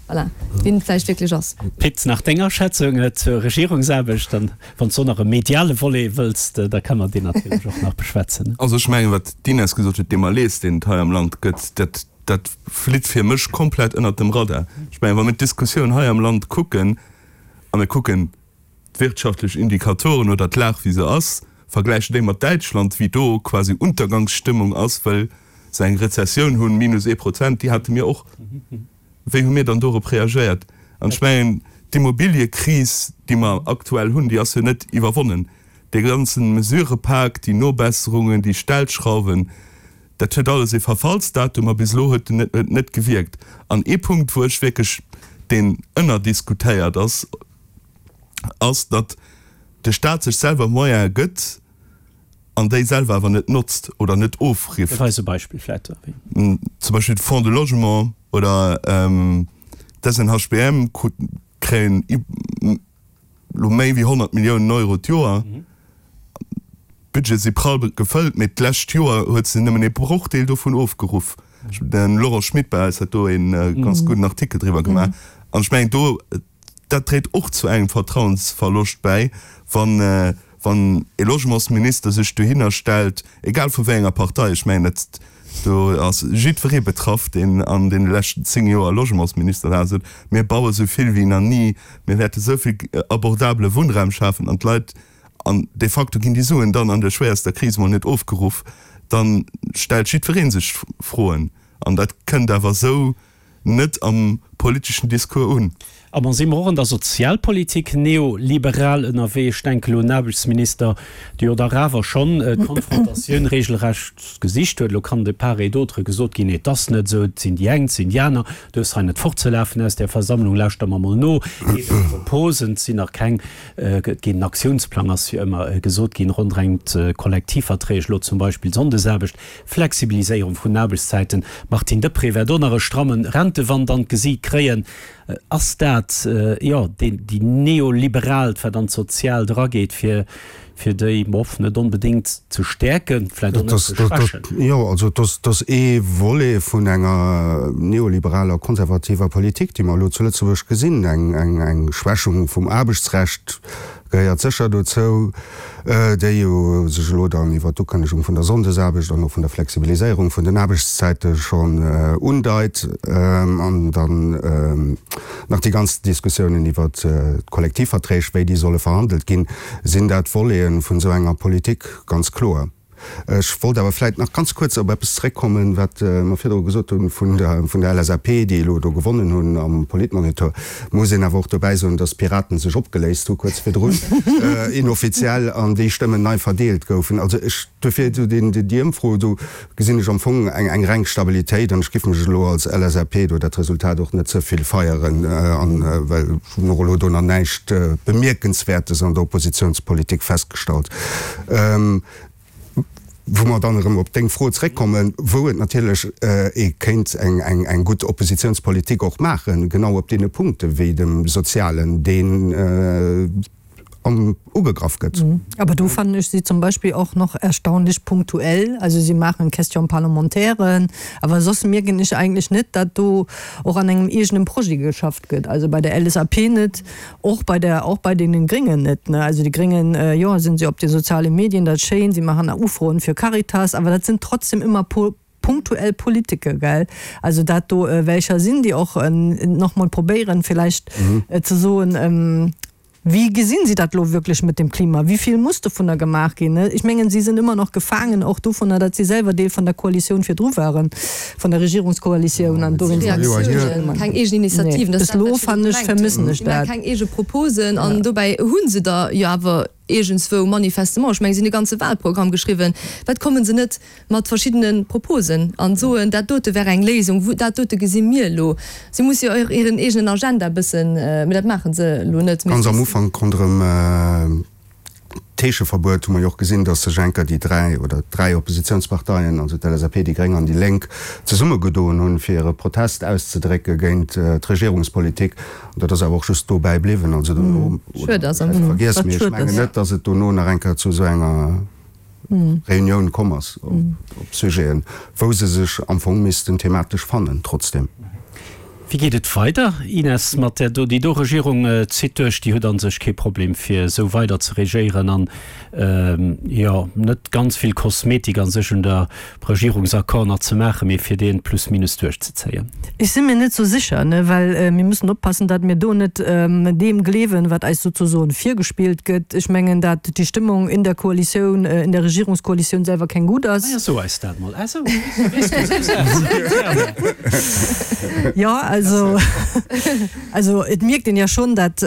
voilà, wéi en vläicht wierklech ass. Pit, nach deng Aschätzung zur Regierungsaarbecht, an wann s du och nach e mediale Volet wëlls, da kënne mer deen natierlech och nach beschwätzen. Also ech mengen, wat d'Ines gesot huet, dee Malaise, deen et hei am Land gëtt, dat, dat flitt fir mech komplett ënnert dem Radar. Ech mengen, wa mir d'Diskussioun hei am Land kucken a mir kucken, d'wirtschaftlech Indikatoren oder d'Lag wéi se ass, vergläichen déi mat Däitschland, wéi do quasi Untergangsstëmmung ass, well se eng Rezessioun hunn, minus ee Prozent, déi hate mir och. Wéi hu mir dann dorop reagéiert? An ech mengen, d'Immobiliëkris, déi mer aktuell hunn, déi ass jo net iwwerwonnen. Dee ganze Mesurëpak, déi Nobesserungen, déi Stellschrauwen, dat huet alles ee Verfallsdatum a bis elo huet en net gewierkt. An ee Punkt, wou ech wierklech, deen ënnerdiskutéiert ass, ass, datt de Staat sech selwer Moyene gëtt an déi selwer awer net notzt oder net ofrifft. Gëff eis e Beispill vläit. Zum Beispill de Fonds de Logement oder d'SNHBM kréien elo méi wéi 100 Milliounen Euro d'Joer. D'Budgete si prall gefëllt, mee d'lescht Joer huet se nëmmen ee Brochdeel dovun ofgeruff. De Laurent Schmit bei eis hat do ee ganz gudden Artikel driwwer gemaach. An ech mengen, do, dat dréit och zu engem Vertrauensverloscht bäi, wann, wann ee Logementsminister sech dohinner stellt, egal vu wéi enger Partei, ech mengen, dat, do ass jiddweree betraff, deen an deene leschten 10 Joer Logementsminister war, sot, mir baue sou vill wéi nach ni, mir wäerte sou vill abordabele Wunnraum schafen an d'Leit, an de facto ginn déi Suen dann an der schwéierster Kris mol net ofgeruff, da stellt jiddweree sech Froen. An dat kënnt awer esou net am. politeschen Discours un. A ma si mer och an der Sozialpolitik neoliberal ënnerwee? Ech denken elo un den Aarbechtsminister, dee jo dach awer schonn d'Konfrontatioun regelrecht gesicht huet. Elo kann de part et d'autre gesot ginn, et ass net esou, et sinn déi eng, et sinn déi aner, duerfs hei net fortzelafen aus där Versammlung, lauschter mer mol no, eeben Proposen, et sinn nach keng, et ginn en Aktiounsplang ass jo ëmmer gesot ginn rondereng d'Kollektivverträg, elo zum Beispill d'Sonndesaarbecht, Flexibiliséierung vun den Aarbechtszäiten. Martine Deprez wäert och nach e strammen Rentewand an d'Gesiit kréien. Ass dat, jo, déi neoliberaalt, wat an d'Soziaalt erageet, fir, fir déi, bof, net onbedéngt ze stäerken, vläicht och net ze schwächen? Jo, also et ass ee Volet vun enger neoliberaler, konservativer Politik, déi mer elo zu Lëtzebuerg gesinn, eng Schwächung vum Aarbechtsrecht, gehéiert sécher dozou, déi jo sech elo dann iwwert d'Ukënnegung vun der Sonndesaarbecht an och vun der Flexibiliséierung vun den Aarbechtszäite schonn undeit, an dann nach déi ganz Diskussiounen iwwert d'Kollektivverträg, wéi déi solle verhandelt ginn, sinn dat Voleten vun esou enger Politik, ganz kloer. Ech wollt awer vläit nach ganz kuerz op eppes zeréckkommen, wat mer virdru gesot hu vun der, vun der LSAP, déi elo do gewonnen hunn am Politmonitor. Muss een awer och dobäi soen, dass d'Piraten sech opgeléist hu kuerz virdrun, inoffiziell, an déi Stëmmen nei verdeelt goufen. Also ech, duerfir esou deen, déi Ëmfro, do gesinn ech am Fong eng, eng reng Stabilitéit an ech giff mech elo als LSAP do dat Resultat och net ze vill feieren, an well ech hunn och elo do nach näischt Bemierkenswäertes an der Oppositionspolitik festgestallt. Wou mer dann erëm op deng Fro zréckkommen, wou et natierlech ee kéint eng gutt Oppositionspolitik och maachen, genau op deene Punkte wéi dem Sozialen, deen ugegraff gëtt. Aber do fannen ech si zum Beispill och noch erstaunlich punktuell. Also si maachen Question-parlementairen, awer soss mierken ech eigentlech net, datt do och an engem eegenen Projet geschafft gëtt. Also bei der LSAP net, Och bei der, och bei deenen Gréngen net, ne. Also déi Gréngen, jo, sinn se op de soziale Medien, dat ass schéin, si maachen Ufroen fir Caritas, awer dat sinn trotzdem ëmmer punktuell Politike, gell. Also dat do welcher sinn, déi och nach mol probéieren villäicht ze soen, Wéi gesinn si dat elo wierklech mat dem Klima? Wéi vill muss dovunner gemaach ginn? Ech mengen, si sinn ëmmer nach gefaangen och dovunner, datt si selwer Deel vun der Koalitioun virdru waren. Vun der Regierungskoalitioun an dowéinst Reaktiounen, keng eegen Initiativen, dat ass dat, wat ech virdru gemengt hunn. Si maache keng eege Proposen an dobäi hu se der jo awer iergendswou manifestement, ech mengen, si hunn e ganze Wahlprogramm geschriwwen, wat komme se net mat verschiddene Proposen an soen, dat dote wär eng Léisung, dat dote gesi mir elo. Si musse jo och hiren eegenen Agenda e bëssen, mä dat maache se elo net. Ganz am Ufank ronderëm D'Heescheverbuet hu mer jo och gesinn, datt sech enker déi 3 oder 3 Oppositionsparteien, also d'LSAP, déi Gréng an déi Lénk, zesummegedoen hunn, fir hire Protest auszedrécke géint d'Regierungspolitik. An dat ass awer och just dobäi bliwwen. Also dono, oder vläicht vergiess, mee ech mengen net, datt et dono nach eng Kéier zu esou enger Reunioun komm ass op Sujeten, wou se sech am Fong missten thematesch fannen trotzdem. Wéi geet et weider, Ines, mat där do? Déi do Regierung zitt duerch, déi huet a sech kee Problem fir esou weider ze regéieren an, jo, net ganz vill Kosmetik a sech un der Regierungsaccord nach ze maachen, mee fir deen plus minus duerchzezéien. Ech si mir net sou sécher, ne, well mir müssen oppassen, datt mir do net deem gleewen, wat eis souzesoen virgespillt gëtt. Ech mengen, datt déi Stëmmung in der Koalitioun, in der Regierungskoalitioun selwer keng gutt ass. Ah ja, so eis dat mol. Ah sou, weess du sou Saachen. Jo, also, also et mierkt een ja schonn, datt,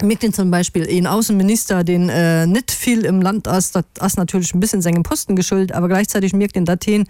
mierkt een zum Beispill een Aussenminister, deen net vill im Land ass, dat ass natierlech en bëssen sengem Posten geschult, awer gleichzeitig mierkt een, datt heen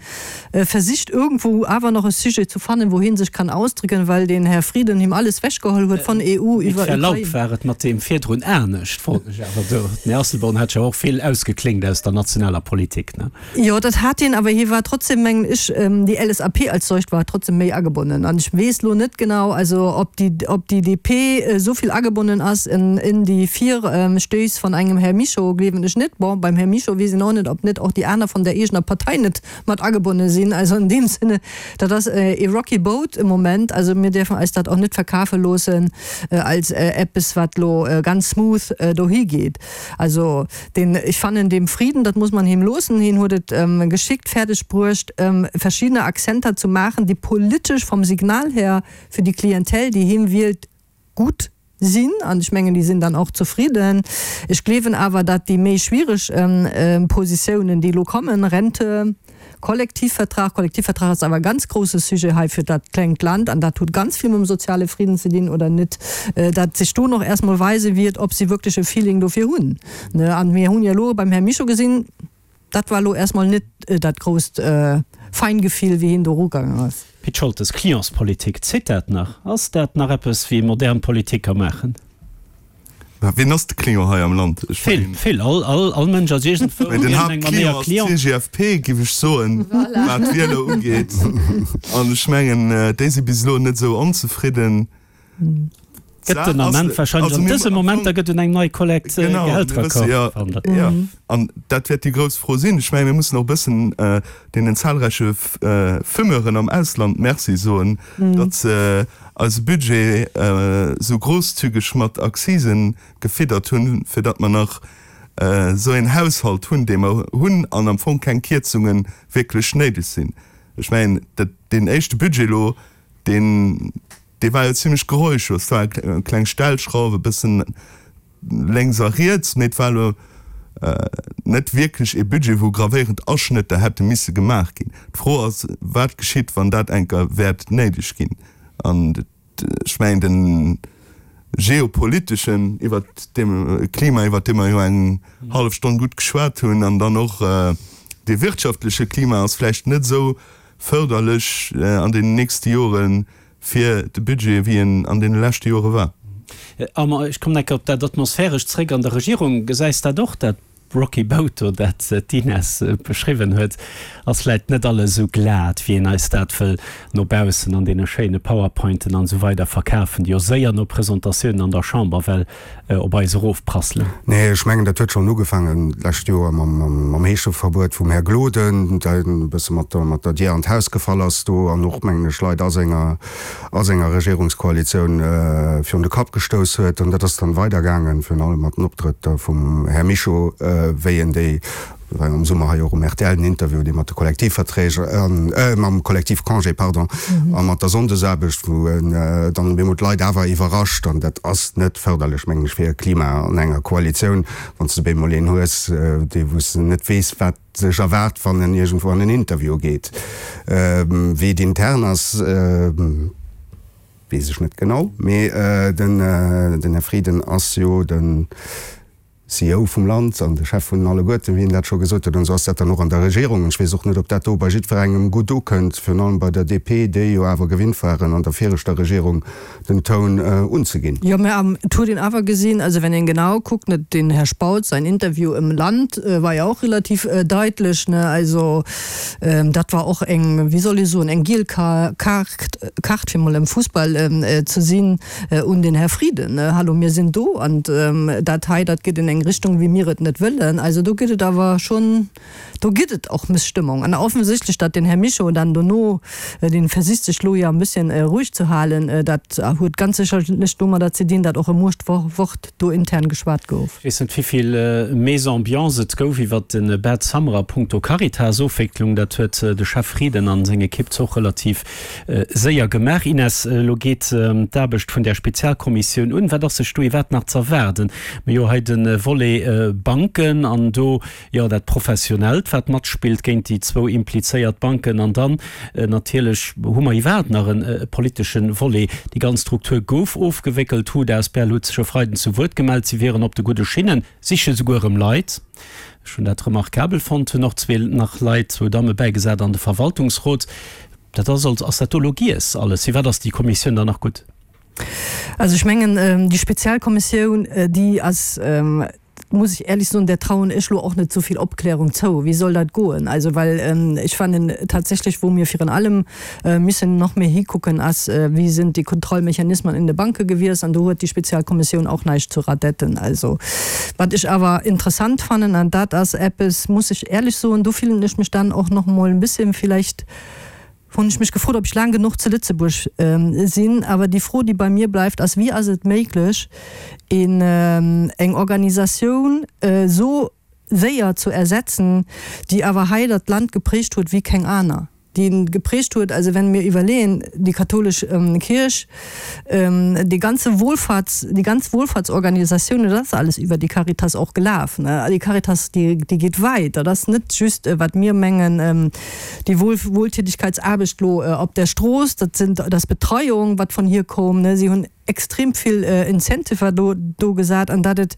versicht irgendwou awer nach e Sujet zu fannen, wou heen sech kann ausdrücken, well den Här Frieden him alles wechgeholl huet von EU Mit iwwer Verlaub Ukrain. war et mat deem virdrun anescht, froen ech awer do. Den Här Asselborn hat jo och vill ausgeklénkt aus der nationaler Politik, ne? Jo, dat hat hien, awer hie war trotzdem, mengen ech, déi LSAP als solcht war trotzdem méi agebonnen. An ech weess lo net genau, also ob déi, ob déi DP esou vill agebonnen ass in, in déi Virstöiss von engem Här Mischo, gleewen ech net. Bon, beim Här Mischo weess een och net, ob net och déi aner von der eegener Partei net mat agebonne sinn. Also in deem Sinne, dat ass e rocky boat im Moment. Also mir däerfen eis dat och net verkafe loossen als eppes, wat lo ganz smooth dohi geet. Also deen, ech fannen deem Frieden, dat muss man him loossen, hien huet et geschickt fäerdeg bruecht, verschiddene Akzenter zu maachen, déi politesch vom Signal her fir déi Klientel, déi him wielt, gutt sinn. An ech mengen, déi sinn dann och zefridden. Ech gleewen awer, datt déi méi schwiereg Positiounen, déi elo kommen, Rente, Kollektivvertrag. Kollektivvertrag ass awer e ganz grouse Sujet hei fir dat klengt Land an dat huet ganz vill mam soziale Friden ze dinn oder net, dat sech do nach erst mol weise wiert, ob si wierklech e Feeling dofir hunn. An mir hunn jo elo beim Här Mischo gesinn, dat war elo erst mol net dat grousst Feingefill, wéi hien do erugaangen ass. Pit Scholtes, Clientspolitik, zitt dat nach? Ass dat nach eppes, wéi modern Politik ka maachen? Mä wien ass de Client hei am Land? Ech Vill, mengen. vill. All, all, all Mënsch ass iergendwou Mä den iergendeng Manéier Haaptclient ass Client. d'CGFP, giff ech soen, Voilà. wat d'Wieler ugeet. An ech mengen, déi si bis elo net esou onzefridden. Gëtt D'Saach den ass, Ament wahrscheinlech also an mir dësem am Moment, da Fong, gëtt un eng nei Kollekt genau, mir wësse Gehälteraccord jo, verhandelt. jo, an dat wäert déi grouss Fro sinn. Ech mengen, mir mussen och e bëssen deenen zahlreiche Fumeuren am Ausland Merci soen, datt se eise Budget esou großzügeg mat Accisen gefiddert hunn, fir datt mer nach esou een Haushalt hunn, dee mer hunn, an am Fong keng Kierzunge wierklech néideg sinn. Ech mengen, dat, deen éischte Budget elo, deen, dee war jo zimlech geräuschlos. Et war eng kleng Stellschrauf, e bëssen lénks a riets, mee et war elo net wierklech ee Budget, wou gravéierend Aschnëtter hätte misse gemaach ginn. D'Fro ass, wat geschitt, wann dat eng Kéier wäert néideg ginn? An ech mengen, de geopoliteschen iwwert deem Klima, iwwert dee mer jo eng hallef Stonn gutt geschwat hunn, an dann och dee wirtschaftleche Klima ass vläicht net esou fërderlech an deenen nächste Joren, fir de Budget, wéi en an deene leschte Jore war. Armand, ech kommen enke op dat Atmosphärescht zréck an der Regierung. Gesäis dat och, dat rocky boat do, dat d'Ines beschriwwen huet? Ass vläit net alles esou glat, wéi een eis dat wëll no baussen an deene schéine Powerpointen an esou weider verkafen, déi jo séier no Presentatiounen an der Chamber well op eis erofprasselen. Nee, ech mengen, dat huet schonn ugefaangen d'lescht Joer mam Heescheverbuet vum Här Gloden, deen e bësse mat der Dier an d'Haus gefall ass do an och, mengen ech, Leit a senger, a senger Regierungskoalitioun virun de Kapp gestouss huet. An dat ass dann weidergaangen, virun allem mat den Optrëtter vum Här Mischo, wéi en déi war am Summer hei och um rtl den Interview, dee mat de Kollektivverträg an, mam Kollektivcongé, pardon, a mat der Sonndesaarbecht, wou en dann op eemol d'Leit awer iwwerrascht. An dat ass net fërderlech, mengen ech, fir e Klima an enger Koalitioun, wann s de op eemol een hues, dee wou s de net weess, wat sech erwaart, wann en iergendwou an en Interview geet. Wéi et intern ass, weess ech net genau, mee den Här Frieden ass jo den, CEO vum Land an de Chef vun alleguerten, wéi en dat scho gesot huet. An esou ass dat dann och an der Regierung. An ech weess och net, ob dat do bei jiddwerengem gutt ukënnt, virun allem bei der DP, déi jo awer gewinnt waren, an der viregter Regierung den Toun unzeginn. Jo, mä et huet een awer gesinn, also wenn een genau kuckt, net, den Här Spautz säin Interview im Land war jo och relativ daitlech, ne, also dat war och eng, wéi soll ee soen, eng giel Kaart, fir mol am Fussball ze sinn. Un den Här Frieden, Hallo, mir sinn do an dat hei, dat geet an eng Richtung, wéi mir et net wëllen. Also do gëtt et awer schonn, do gëtt et och Mësstëmmung. An offensichtlech, datt den Här Mischo dann dono, dee versicht sech elo jo e bësschen roueg ze halen, dat huet ganz sécherlech domadder ze dinn, datt och e Muechtwort do intern geschwat gouf. Ech weess net, wéivill Mésambiance et gouf iwwert de Bad Summer a punkto Caritas-Ofwécklung. Dat huet de Chef Frieden a seng Ekipp zwar och relativ Séier gemaach, Ines. Elo geet d'Aarbecht vun där Spezialkommissioun un. Wat ass sech do iwwerhaapt nach z'erwaarden? Mir hu hei de Volet Banken an do, jo, dat Professionellt, wat matspillt géint déi zwou implizéiert Banken. An dann natierlech hu mer iwwerhaapt nach e politesche Volet. Déi ganz Struktur gouf ofgewéckelt. D'Hut asbl huet sech e Freiden zu Wuert gemellt. Si wieren op de gudde Schinnen, siche souguer erëm Leit. Ech hunn dat remarkabel fonnt. Hunn och zwee nach Leit, zwou Damme bäigesat an de Verwaltungsrot. Dat ass also, ass dat do elo giess alles? Firwat ass déi Kommissioun dann nach gutt? Also ech mengen, déi Spezialkommissioun, déi ass, muss ech éierlech soen, där trauen ech elo och net esou vill Opklärung zou. Wéi soll dat goen? Also well ech fannen tatsächlech, wou mir virun allem müssen nach méi hikucken, ass, wéi sinn déi Kontrollmechanismen in de Banke gewiescht? An do huet déi Spezialkommissioun och näischt zu radetten. Also wat ech awer interessant fannen, an dat ass eppes, muss ech éierlech soen, do fillen ech mech dann och nach emol e bësschen vielleicht, hunn ech mech gefrot, ob ech laang genuch zu Lëtzebuerg sinn. Awer déi Fro, déi bei mir bleift, ass, Wéi ass et méiglech, een, eng Organisatioun esou séier zu ersetzen, déi awer hei dat Land geprägt huet wéi keng aner? déi en geprägt huet. Also wenn mir iwwerleeën, déi kathoulesch Kierch, dee ganze Wohlfahrts, déi ganz Wohlfahrtsorganisatiounen, dat ass alles iwwer déi Caritas och gelaf, ne. Déi Caritas, déi, déi geet wäit. Dat ass net just, wat mir mengen, déi Wohl, Wohltätigkeitsaarbecht lo op der Strooss, dat sinn, dat ass Betreiung, wat vun hir koom, ne. Si hunn extrem vill Incentiver do, do gesat. An datt et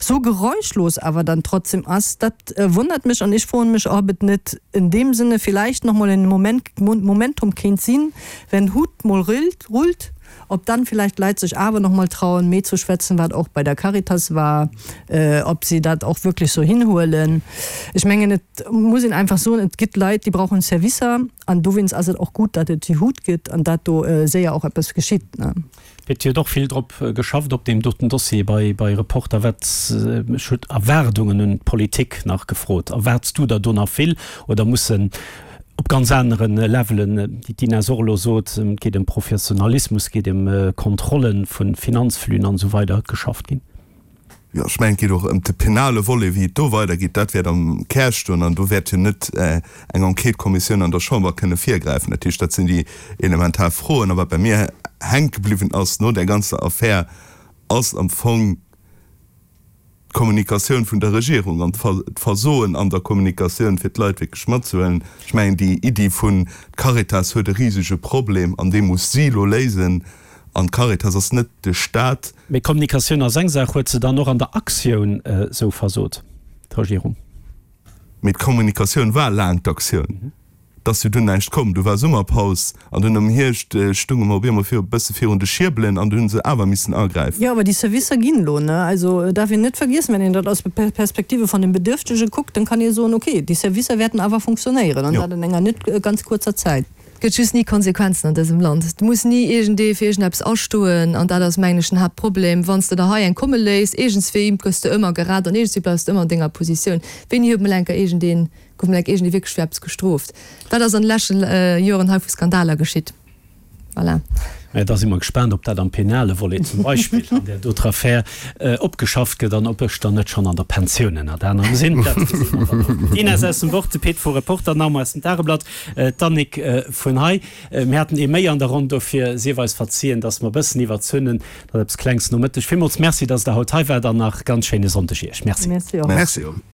sou geräuschlos awer dann trotzdem ass, dat wonnert mech. An ech froen mech, ob et net in deem Sinne vielleicht nach mol en Moment, Momentum kéint sinn, Wenn Hut mol rullt, ob dann vielleicht d'Leit sech awer nach mol trauen méi ze schwätzen, wat och bei der Caritas war, ob si dat och wierklech sou hinhuelen. Ech mengen et muss een einfach soen, et gëtt Leit déi brauchen Servicer an dowéinst ass et och gutt, datt et déi Hut gëtt an dat do séier och eppes geschitt. Et huet och vill drop geschafft op deem doten Dossier bei bei Reporter. Wat, ech huet Erwaardungen un d'Politik nach gefrot. Erwaarts du der do nach vill oder mussen op ganz anere Levelen, wéi d'Ines och elo sot, et geet ëm Professionalismus, et geet ëm Kontrolle vu Finanzflüen an esou weider, geschafft ginn? Jo, ech mengen, et geet och ëm de penale Volet, wéi et do weidergeet. Dat wäert am Kär stoen an do wäert jo net eng Enquête-Kommissioun an der Chamber kënne virgräifen. Dat heescht, dat sinn déi elementar Froen. A wat bei mir hänke bliwwen ass no där ganzer Affär, ass am Fong d'Kommunikatioun vun der Regierung an d'Versoen an der Kommunikatioun, fir d'Leit wierklech matzehuelen. Ech mengen, déi Iddi vun, d'Caritas huet e risege Problem an dee muss si elo léisen, An d'Caritas ass net de Staat. Mee Kommunikatioun ass eng Saach. Huet se dann och an der Aktioun esou versot, d'Regierung? Mee d'Kommunikatioun war laang d'Aktioun. Et ass jo dunn näischt komm. Du war Summerpaus an dunn am Hierscht stounge mer op eemol e bësse virun de Schierbelen an du hunn se awer missen agräifen. Jo, awer déi Servicer ginn elo, ne? Also et darf een net vergiessen, wenn een dat aus der Perspektive vun dem Bedürftege kuckt, dann kann ee soen, okay, déi Servicer wäerten awer funktionéieren an dat an enger net ganz kuerzer Zäit. Et gëtt just ni Konsequenzen an dësem Land. Et muss ni iergendee fir iergendeppes astoen. An dat ass, mengen ech, den Haaptproblem. Wann s de der hei eng komme léiss, iergendswéi gëss de ëmmer gerett an iergendswéi bleifs de ëmmer an denger Positioun. Wéini huet mol enker iergendeen, gouf mol enker iergendee wierklech fir eppes gestrooft? Wat ass an de leschte Joren hei vu Skandaler geschitt? Voilà. Mä da si mer gespaant, ob dat am penale Volet zum Beispill an där doter Affär opgeschafft gëtt an ob ech dann net schonn an der Pensioun ënnert anerem sinn. Dat gesi mer dann och. D'Ines aus dem Wort, de Pit vu Reporter, d'Naomi aus dem Tageblatt, d'Annick vun hei. Mir haten ee méi an der Ronn, dofir sief eis verzien, dass mer e bëssen iwwerzunn hunn. Dat eppes Klengs Nomëtteg. Villmools Merci, dass Der haut hei waart an nach ganz schéine Sonndeg Iech. Merci. Merci och. Merci och.